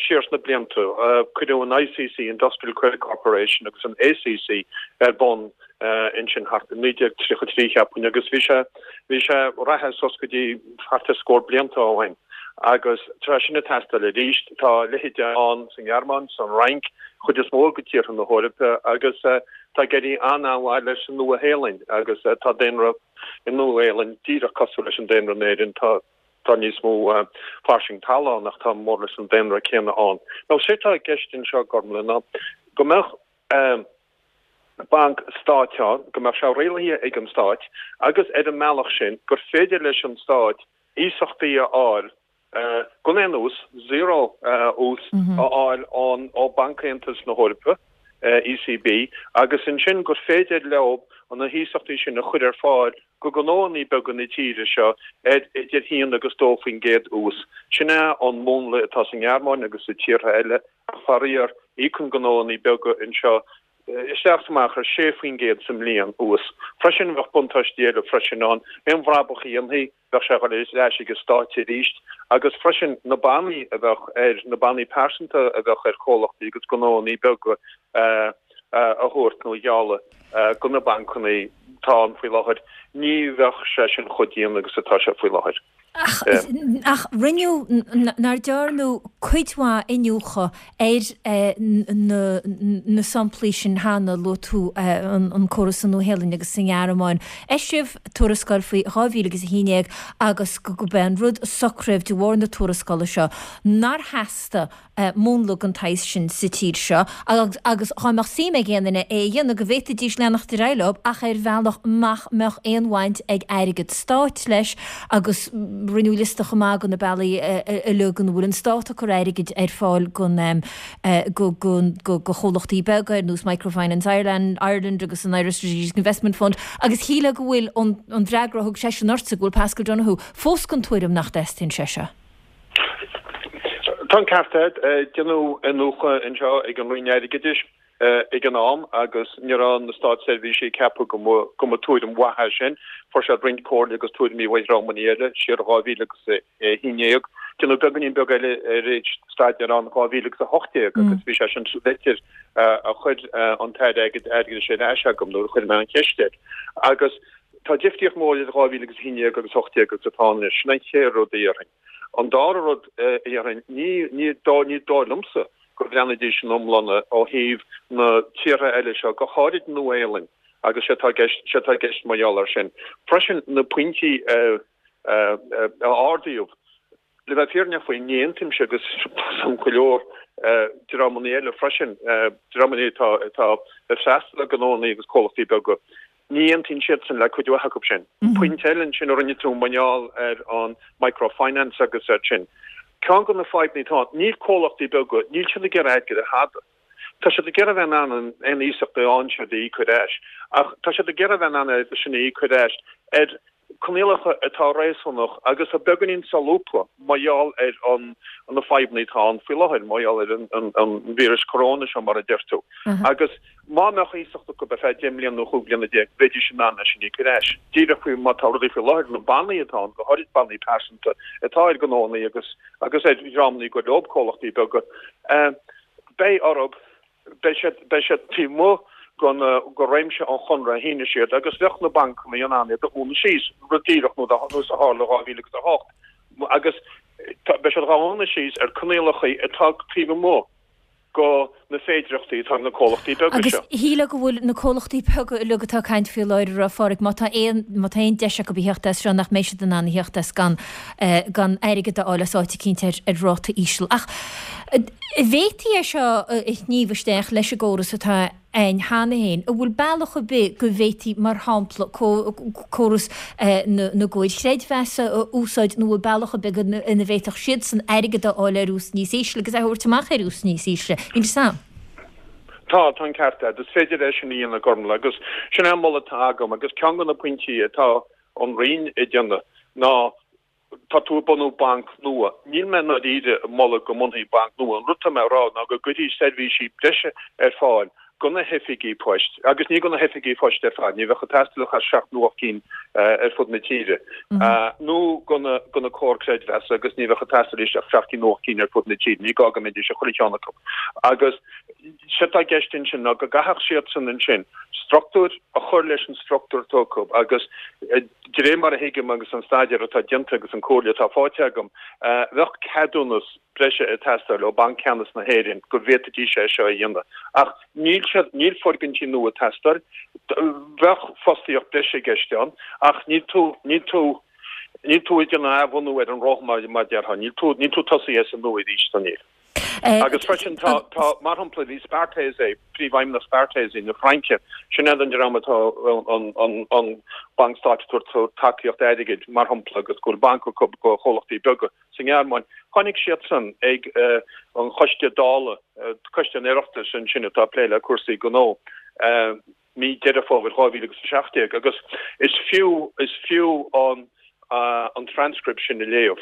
siar sna blianta. Cuireadh an I C C, Industrial Credit Corporation, agus an A C C ar bun ansin thart i naoi déag tríocha trí, cheapfainn, agus bhí sé bhí sé reatha suas go dtí thart ar scór blianta ó shin agus tá sin ag teastáil arís. Tá a leithéid ann sa nGearmáin, san Fhrainc, chuid is mó de tíortha na hEorpa, agus tá ag éirí an-an-mhaith leis sa Nua-Shéalainn, agus tá daonra i Nua-Shéalainn díreach cosúil leis an daonra in Éirinn. Tá tá níos mó fairsing talamh ann ach tá mór leis an daonra céanna ann. Now sé atá i gceist anseo, Gormlaith, ná go mbeadh banc stáit ann, go mbeadh sé rialaithe ag an stát agus ar an mbealach sin gur féidir leis an stát iasachtaí a fháil gan aon ús, zero ús, a fháil ón ó Banc Aontas na hEorpa, E C B, agus ansin gur féidir leo na hiasachtaí sin a chur ar fáil go gnóannaí beaga na tíre seo ar idir haon agus dó faoin gcéad ús. Sin é an múnla atá sa nGearmáin agus sa tíortha eile. Faraor, íocann gnóannaí beaga anseo isteach is amach ar sé faoin gcéad sa mbliain ús. Freisin bheadh buntáistí eile freisin ann, aon bhrabach a dhéanfaí, bheadh sé ag dul ar ais ag an stát arís, agus freisin na bannaí a bheadh ar, na bannaí pearsanta a bheadh ar chomhlachtaí agus gnóannaí beaga a thabhairt nó a ghealladh go na bancanna atá ann faoi láthair, ní bheadh sé sin chomh dian agus atá sé faoi láthair. Ach ach rinneadh, nár dearnadh cuid mhaith iniúchadh ar na na samplaí sin cheana, luaigh tú an córas sa Nua-Shéalainn agus sa nGearmáin. Eisíodh tuarascáil faoi dhá mhíle agus a haon déag agus go b'é an rud a socraíodh de bharr na tuarascála seo nár theastaigh múnla den tsaghas sin sa tír seo agus agus dhá mbeadh suim ag aon duine é a dhéanamh go bhféadfaidís leanacht ar aghaidh leo ach ar bhealach nach mbeadh aon bhaint ag airgead stáit leis. Agus rinneadh liosta chomh maith de na bealaí uilig ina bhfuil an stát ag cur airgid ar fáil gon go go go go chomhlachtaí beaga ar nós Microfinance Ireland Ireland agus an Irish Strategic Investment Fund, agus shílfeá go bhfuil an an freagra a thug seisean ortsa, go bhfuil Paschal Donohoe fós den tuairim nach dteastaíonn sé seo. Tá an ceart agat. Déanadh iniúchadh anseo ag an Roinn Airgeadais ag an am agus ní raibh na státseirbhísigh ag ceapadh go mba go mba tuairim mhaith é sin. Fuair siad roinnt comhairle agus tuairimí ó dhreamanna eile siar dhá mhíle agus a haon déag. Déanadh beagáinín beag eile arís staidéar ann dhá mhíle agus a hocht déag agus bhí sé sin sa litir a chuir an tAire Airgeadais ar ais agam nuair a chuir mé an cheist air. Agus tá difríocht mhór idir dhá mhíle agus a haon déag agus a hocht déag agus atá anois. Sin an chéad rud a dhéarfainn. An dara rud a dhéarfainn, ní ní ní dóigh liomsa go mbreathnaídís in iomláine ó thaobh na tíortha eile seo, go háirid Nua-Shéalainn, agus sé atá i gceist sé atá i gceist mar gheall air sin. Freisin na pointí a a ardaíodh, le bheith fírinneach faoi, ní aontaímse agus go leor dreamanna eile freisin, dreamanna atá atá ag freastal ar ghnóanna agus comhlachtaí beaga. Ní aontaíonn siadsan le cuid mhaith acu sin. Pointe eile ansin a rinne tú mar gheall ar an microfinance agus ar sin. Ceann de na fadhbanna atá ann, níl comhlachtaí beaga, níl siad ag iarraidh airgead ar thada. Tá siad ag iarraidh bheith in ann aon iasacht a fhaigheann siad a íoc ar ais, ach tá siad ag iarraidh bheith in ann é sin a íoc ar ais ar coinníollacha atá réasúnach agus tá beagáinín solúbtha mar gheall ar an na fadhbanna atá ann faoi láthair, mar gheall ar an an víreas coróna seo mar a deir tú. Agus má mbeadh iasacht acu ar feadh deich mbliana nó chúig bliana déag, bheidís in ann é sin a íoc ar ais. Díreach faoi mar tá rudaí faoi láthair, na bannaí atá ann, go háirid bannaí pearsanta atá ar ghnóanna agus agus ar dhreamanna go leor comhlachtaí beaga, beidh orthu, beidh siad beidh siad taobh amuigh den de réimse an chonradh a shínigh siad agus bheadh na bancanna in ann iad a dhúnadh síos, rud díreach nó nós a tharla dhá mhíle agus a hocht, agus beidh siad dhá dhúnadh síos ar coinníollacha atá taobh amuigh go na féidireachtaí atá ag na comhlachtaí beaga Agus seo. shílfeá go bhfuil na comhlachtaí beaga uilig atá ag caint faoi láthair ag rá, Phádraig, má tá aon, má tá aon deis acu a theacht as seo nach mbeidh siad in ann a theacht as gan, gan airgead a fháil as áit eicínt ar, ar ráta íseal. Ach an bhféadfaí é seo a shníomh isteach leis an gcóras atá ann cheana féin, an bhfuil bealach ar bith go bhféadfaí, mar shampla, córas na gcomhair chreidmheasa a úsáid nó an bhfuil bealach ar bith ina bhféadfadh siadsan airgead a fháil ar ús níos ísle agus é a thabhairt amach ar ús níos ísle? Inis dom. Tá, tá an ceart agat. Is féidir é sin a dhéanamh, Gormlaith, agus sin é an moladh atá agam agus ceann de na pointí atá an Roinn ag déanamh ná tá tú ag bunú banc nua. Níl mé i ndáiríre ag moladh go mbunófaí banc nua. An rud atá mé a rá ná go gcuirfí seirbhísí breise ar fáil do na hoifigí poist, agus ní do na hoifigí poist ar fad, ní bheadh ag teastáil ach seacht nó ocht gcinn ar fud na tíre, nó do na do na comhair creidmheasa agus ní bheadh ag teastáil arís ach seacht gcinn nó ocht gcinn ar fud na tíre, ní gá go mbeidís i chuile cheann acu. Agus séard atá i gceist ansin ná go gcaithfeadh siadsan ansin struchtúr a chur leis an struchtúr atá acu agus de réir mar a thuigim agus an staidéar atá déanta agus an comhairle atá faighte agam, bheadh ceadúnas breise ag teastáil ó Banc Ceannais na hÉireann go bhféadfaidís é seo a dhéanamh. Ach níl siad, níl foirgintí nua ag teastáil, bheadh fostaíocht breise i gceist ann, ach níl tú, níl tú, níl tú ag déanamh athbhunú ar an roth mar a déarfá, níl tú, níl tú ag tosaí as an nua arís, so níl. Agus freisin tá, tá, mar shampla, bhí Spartace, príomhfheidhmeannach Spartace na Fraince, sin iad an dream atá an, an, an banc stáit ag tabhairt tacaíocht airgid, mar shampla, agus go bhfuil banc acu do chomhlachtaí beaga sa nGearmáin. Tháinig siadsan ag an Choiste Dála, Coiste an Oireachtais ansin atá ag plé le cúrsaí gnó, mí Deireadh Fómhair dhá mhíle agus a seacht déag agus is fiú, is fiú an, an transcript sin a léamh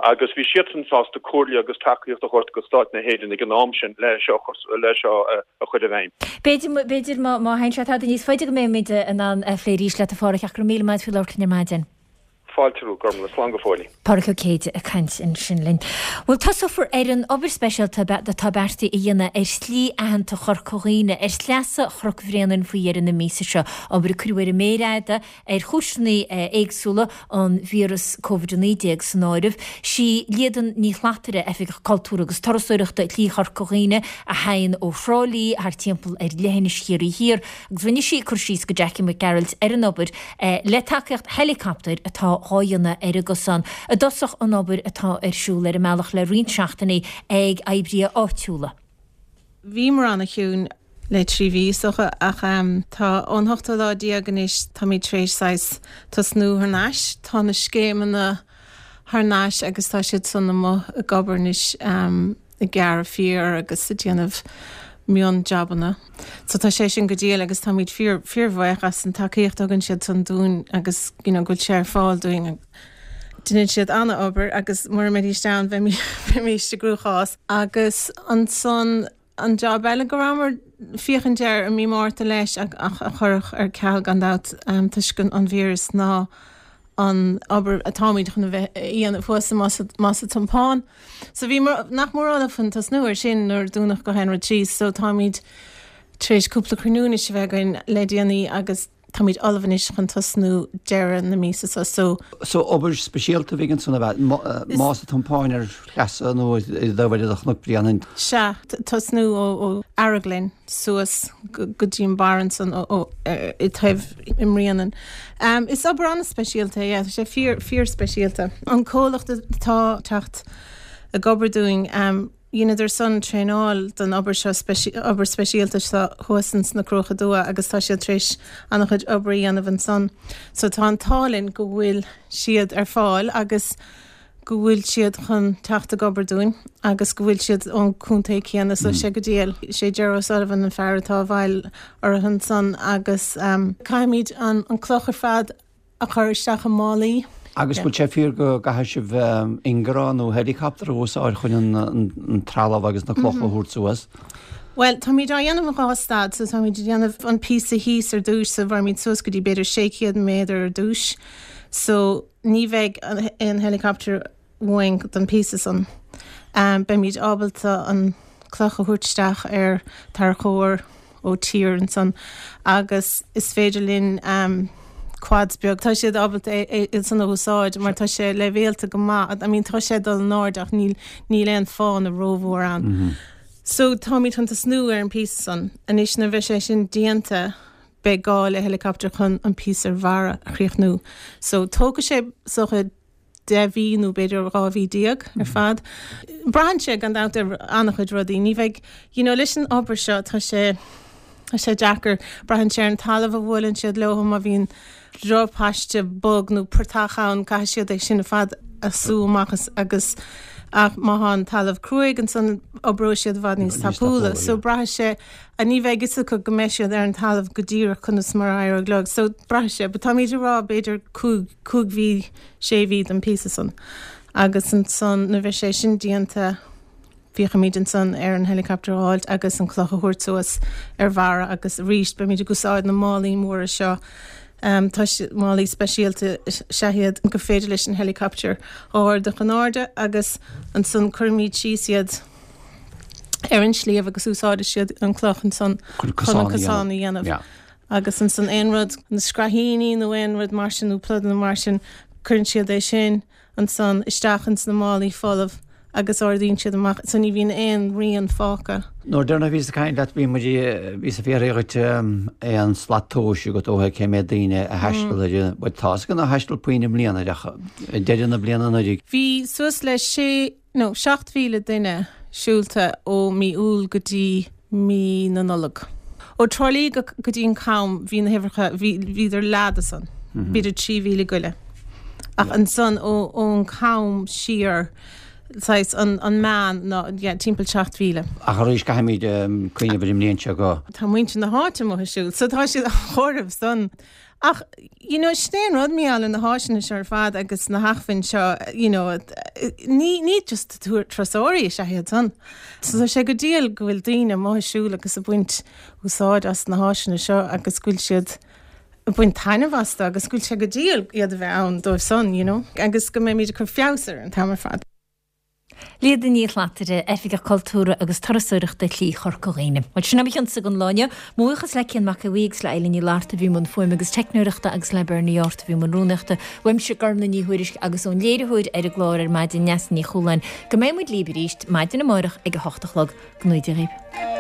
agus bhí siadsan sásta comhairle agus tacaíocht a thabhairt do Stát na hÉireann ag an am sin le seo le seo a chur i bhfeidhm. B'fhéidir, b'fhéidir má má théann sé tada níos faide go mbeimid in ann a phlé arís leat a Pháraic ach go raibh míle maith agat faoi labhairt linn ar maidin. Fáilte romhat, Gormlaith, slán go fóill. Páraic Ó Céide ag caint ansin linn. Bhuel, tosófar ar an obair speisialta atá beartaithe a dhéanamh ar shlí aitheanta Chorca Dhuibhne, ar shleasa Chnoc Bhréanainn faoi dheireadh na míosa seo. Obair a cuireadh ar an méar fhada ar chúiseanna éagsúla, an víreas Covid a naoi déag san áireamh. Sí Líadan Ní Shlatarra, Oifigeach Cultúir agus Turasóireachta Shlí Chorca Dhuibhne, a théann ó Thrá Lí thart timpeall ar leithinis Chiarraí Thiar agus rinne sí cur síos go Jackie Mac Gearailt ar an obair le tacaíocht heileacaptair atá dhá dhéanamh ar an gcosán. I dtosach an obair atá ar siúl ar an mbealach le roinnt seachtainí ag oibrithe áitiúla. Bhíomar ana-chiúin le trí mhí is dócha ach tá ón hochtú lá déag anois táimid tar éis saghas tosnú thar n-ais. Tá na scéimeanna thar n-ais agus tá siad san amuigh ag obair anois ag gearradh féar agus ag déanamh mion-jabanna. So tá sé sin go diail agus táimid fíor fíorbhuíoch as an tacaíocht a thugann siad san dúinn agus you know go bhfuil sé ar fáil dúinn. Déanann siad an-obair agus mura mbeidís ann bheimís i gcruachás. Agus ansan an job eile go rabhamar féachaint air i mí Márta leis ach a cuireadh ar ceal gan dabht toisc an víreas ná an obair atáimid chun a bheith a dhéanamh thuas i Más a' Tiompáin. So bhíomar nach mór ullamh chun tosnú ar sin nuair a dúnadh gach aon rud síos. So táimid tar éis cúpla cruinniú anois a bheith againn le déanaí agus Táimid ullamh anois chun tosnú deireadh na míosa seo so. So obair speisialta a bheidh ansan ab ea? Más an Tiompáin ar shleasa nó i dtaobh eile de Chnoc Bréanainn? Sea, tosnú ó Araglin suas go dtí an barr ansan i dtaobh i mBréanainn. Is obair an-speisialta é, yeah, tá sé fíor, fíor speisialta. An comhlacht atá teacht ag obair dúinn, Dheineadar san traenáil don obair seo, obair speisialta seo thuas ins na Cruacha Dubha agus tá siad tar éis an-chuid obair a dhéanamh ansan. So tá an t-ádh linn go bhfuil siad ar fáil agus go bhfuil siad chun teacht ag obair dúinn agus go bhfuil siad ón contae céanna so sé go diail. Sé Ger O'Sullivan an fear atá i bhfeighil orthu ansan agus caithfimid an cloch ar fad a chur isteach i málaí. Agus bhfuil sé fíor go gcaithfidh sibh ingearán nó helicopter a úsáid chun an trealamh agus na clocha a thabhairt suas? Bhuel, táimid á dhéanamh in dhá stad, so táimid ag déanamh an píosa thíos ar dtúis, so bheirmid suas go dtí b'fhéidir sé chéad méadar ar dtúis, so ní bheidh aon helicopter uainn don phíosa san. Beimid ábalta an cloch a thabhairt isteach ar tarracóir ó tír ansan agus is féidir linn quads beag, tá siad ábalta é san a úsáid mar tá sé leibhéalta go maith, I mean tá sé ag dul in airde ach níl níl aon fána rómhór ann. So táimid chun tosnú ar an píosa san. Anois nuair a bheidh sé sin déanta beidh gá le helicopter chun an píosa ar bharr a chríochnú. So tógfaidh sé is dócha deich mhí nó b'fhéidir dhá mhí déag ar fad. Braitheann sé gan dabht ar an-chuid rudaí. Ní bheidh, you know, leis an obair seo tá sé, Tá sé deacair, braitheann sé ar an talamh a bhuaileann siad leo, má bhíonn drochphaiste bog nó portach ann, caithfidh siad é sin ar fad a sú amach agus ach má thá an talamh cruaidh ansan oibreoidh siad i bhfad níos tapúla. So braithfidh sé, a ní bheidh fhios acu go mbeidh siad ar an talamh go díreach conas mar a éireoidh leo. So braithfidh sé, but táimid ag rá b'fhéidir cúig, cúig mhí, sé mhí don píosa san. Agus ansan nuair a bheidh sé sin déanta, Féachfaimid ansan ar an helicopter a fháilt agus an cloch a thabhairt suas ar bharra agus arís beimid ag úsáid na málaí móra seo. Tá málaí speisialta is ea iad gur féidir leis an helicopter a ardú chun airde agus ansan cuirfimid síos iad ar an sliabh agus úsáidfidh siad an cloch ansan chun an cosán a dhéanamh. Agus ansan aon rud, na scraithíní nó aon rud mar sin nó pludanna mar sin, cuireann siad é sin ansan isteach ins na málaí folamh agus ardaíonn siad amach so ní bhíonn aon rian fágtha. Nuair deireanach a bhíos ag caint leat bhí muid, bhíos ag fiafraí dhuit aon slat tomhais agat ó thaobh cé méad daoine a thaistil ar an, bhuel tá's againn nár thaistil puinn i mbliana ach ag deireadh na bliana anuraidh. Bhí suas le sé nó seacht mhíle duine siúlta ó mí Iúil go dtí mí na Nollag. Ó Trá Lí go dtí an Cam bhí na huimhreacha, bhí, bhíodar leath de san, b'fhéidir trí mhíle go leith. Ach ansan ó, ón Cam siar, saghas an, an meán ná, yeah, timpeall seacht mhíle. Ach arís caithfimid cuimhneamh ar an mbliain seo go. Tá muintir na háite amuigh ag siúl, so tá siad á chomhaireamh san. Ach, you know, sin é an rud, mar gheall ar na háiseanna seo ar fad agus na hacmhainn seo, you know, ní, ní just turasóirí is ea iad san. So tá sé go diail go bhfuil daoine amuigh ag siúl agus ag baint úsáid as na háiseanna seo agus go bhfuil siad ag baint taitneamh astu agus go bhfuil sé go diail iad a bheith ann dóibh san, you know, agus go mbeimid ag cur feabhas ar an t-am ar fad. Líoda Ní Shlatarra, Oifigeach Cultúrtha agus Turasóireachta Shlí Chorca Dhuibhne. Bhuel, sin é mo chionsa don lá inniu. Mo bhuíochas le Cian Mac Aodha Bhuí agus le Eilín Ní Fhlatharta a bhí i mbun fuaime agus teicneoireachta agus le Bernie Art a bhí i mbun rúnaíochta. Uaimse, Gormlaith Ní Thuairisg agus ón léiritheoir ar an gclár ar maidin, Neasa Ní Chualáin. Go mbeidh muid libh arís maidin amárach ag a hocht a chlog. Go ngnóthaí Dia dhaoibh.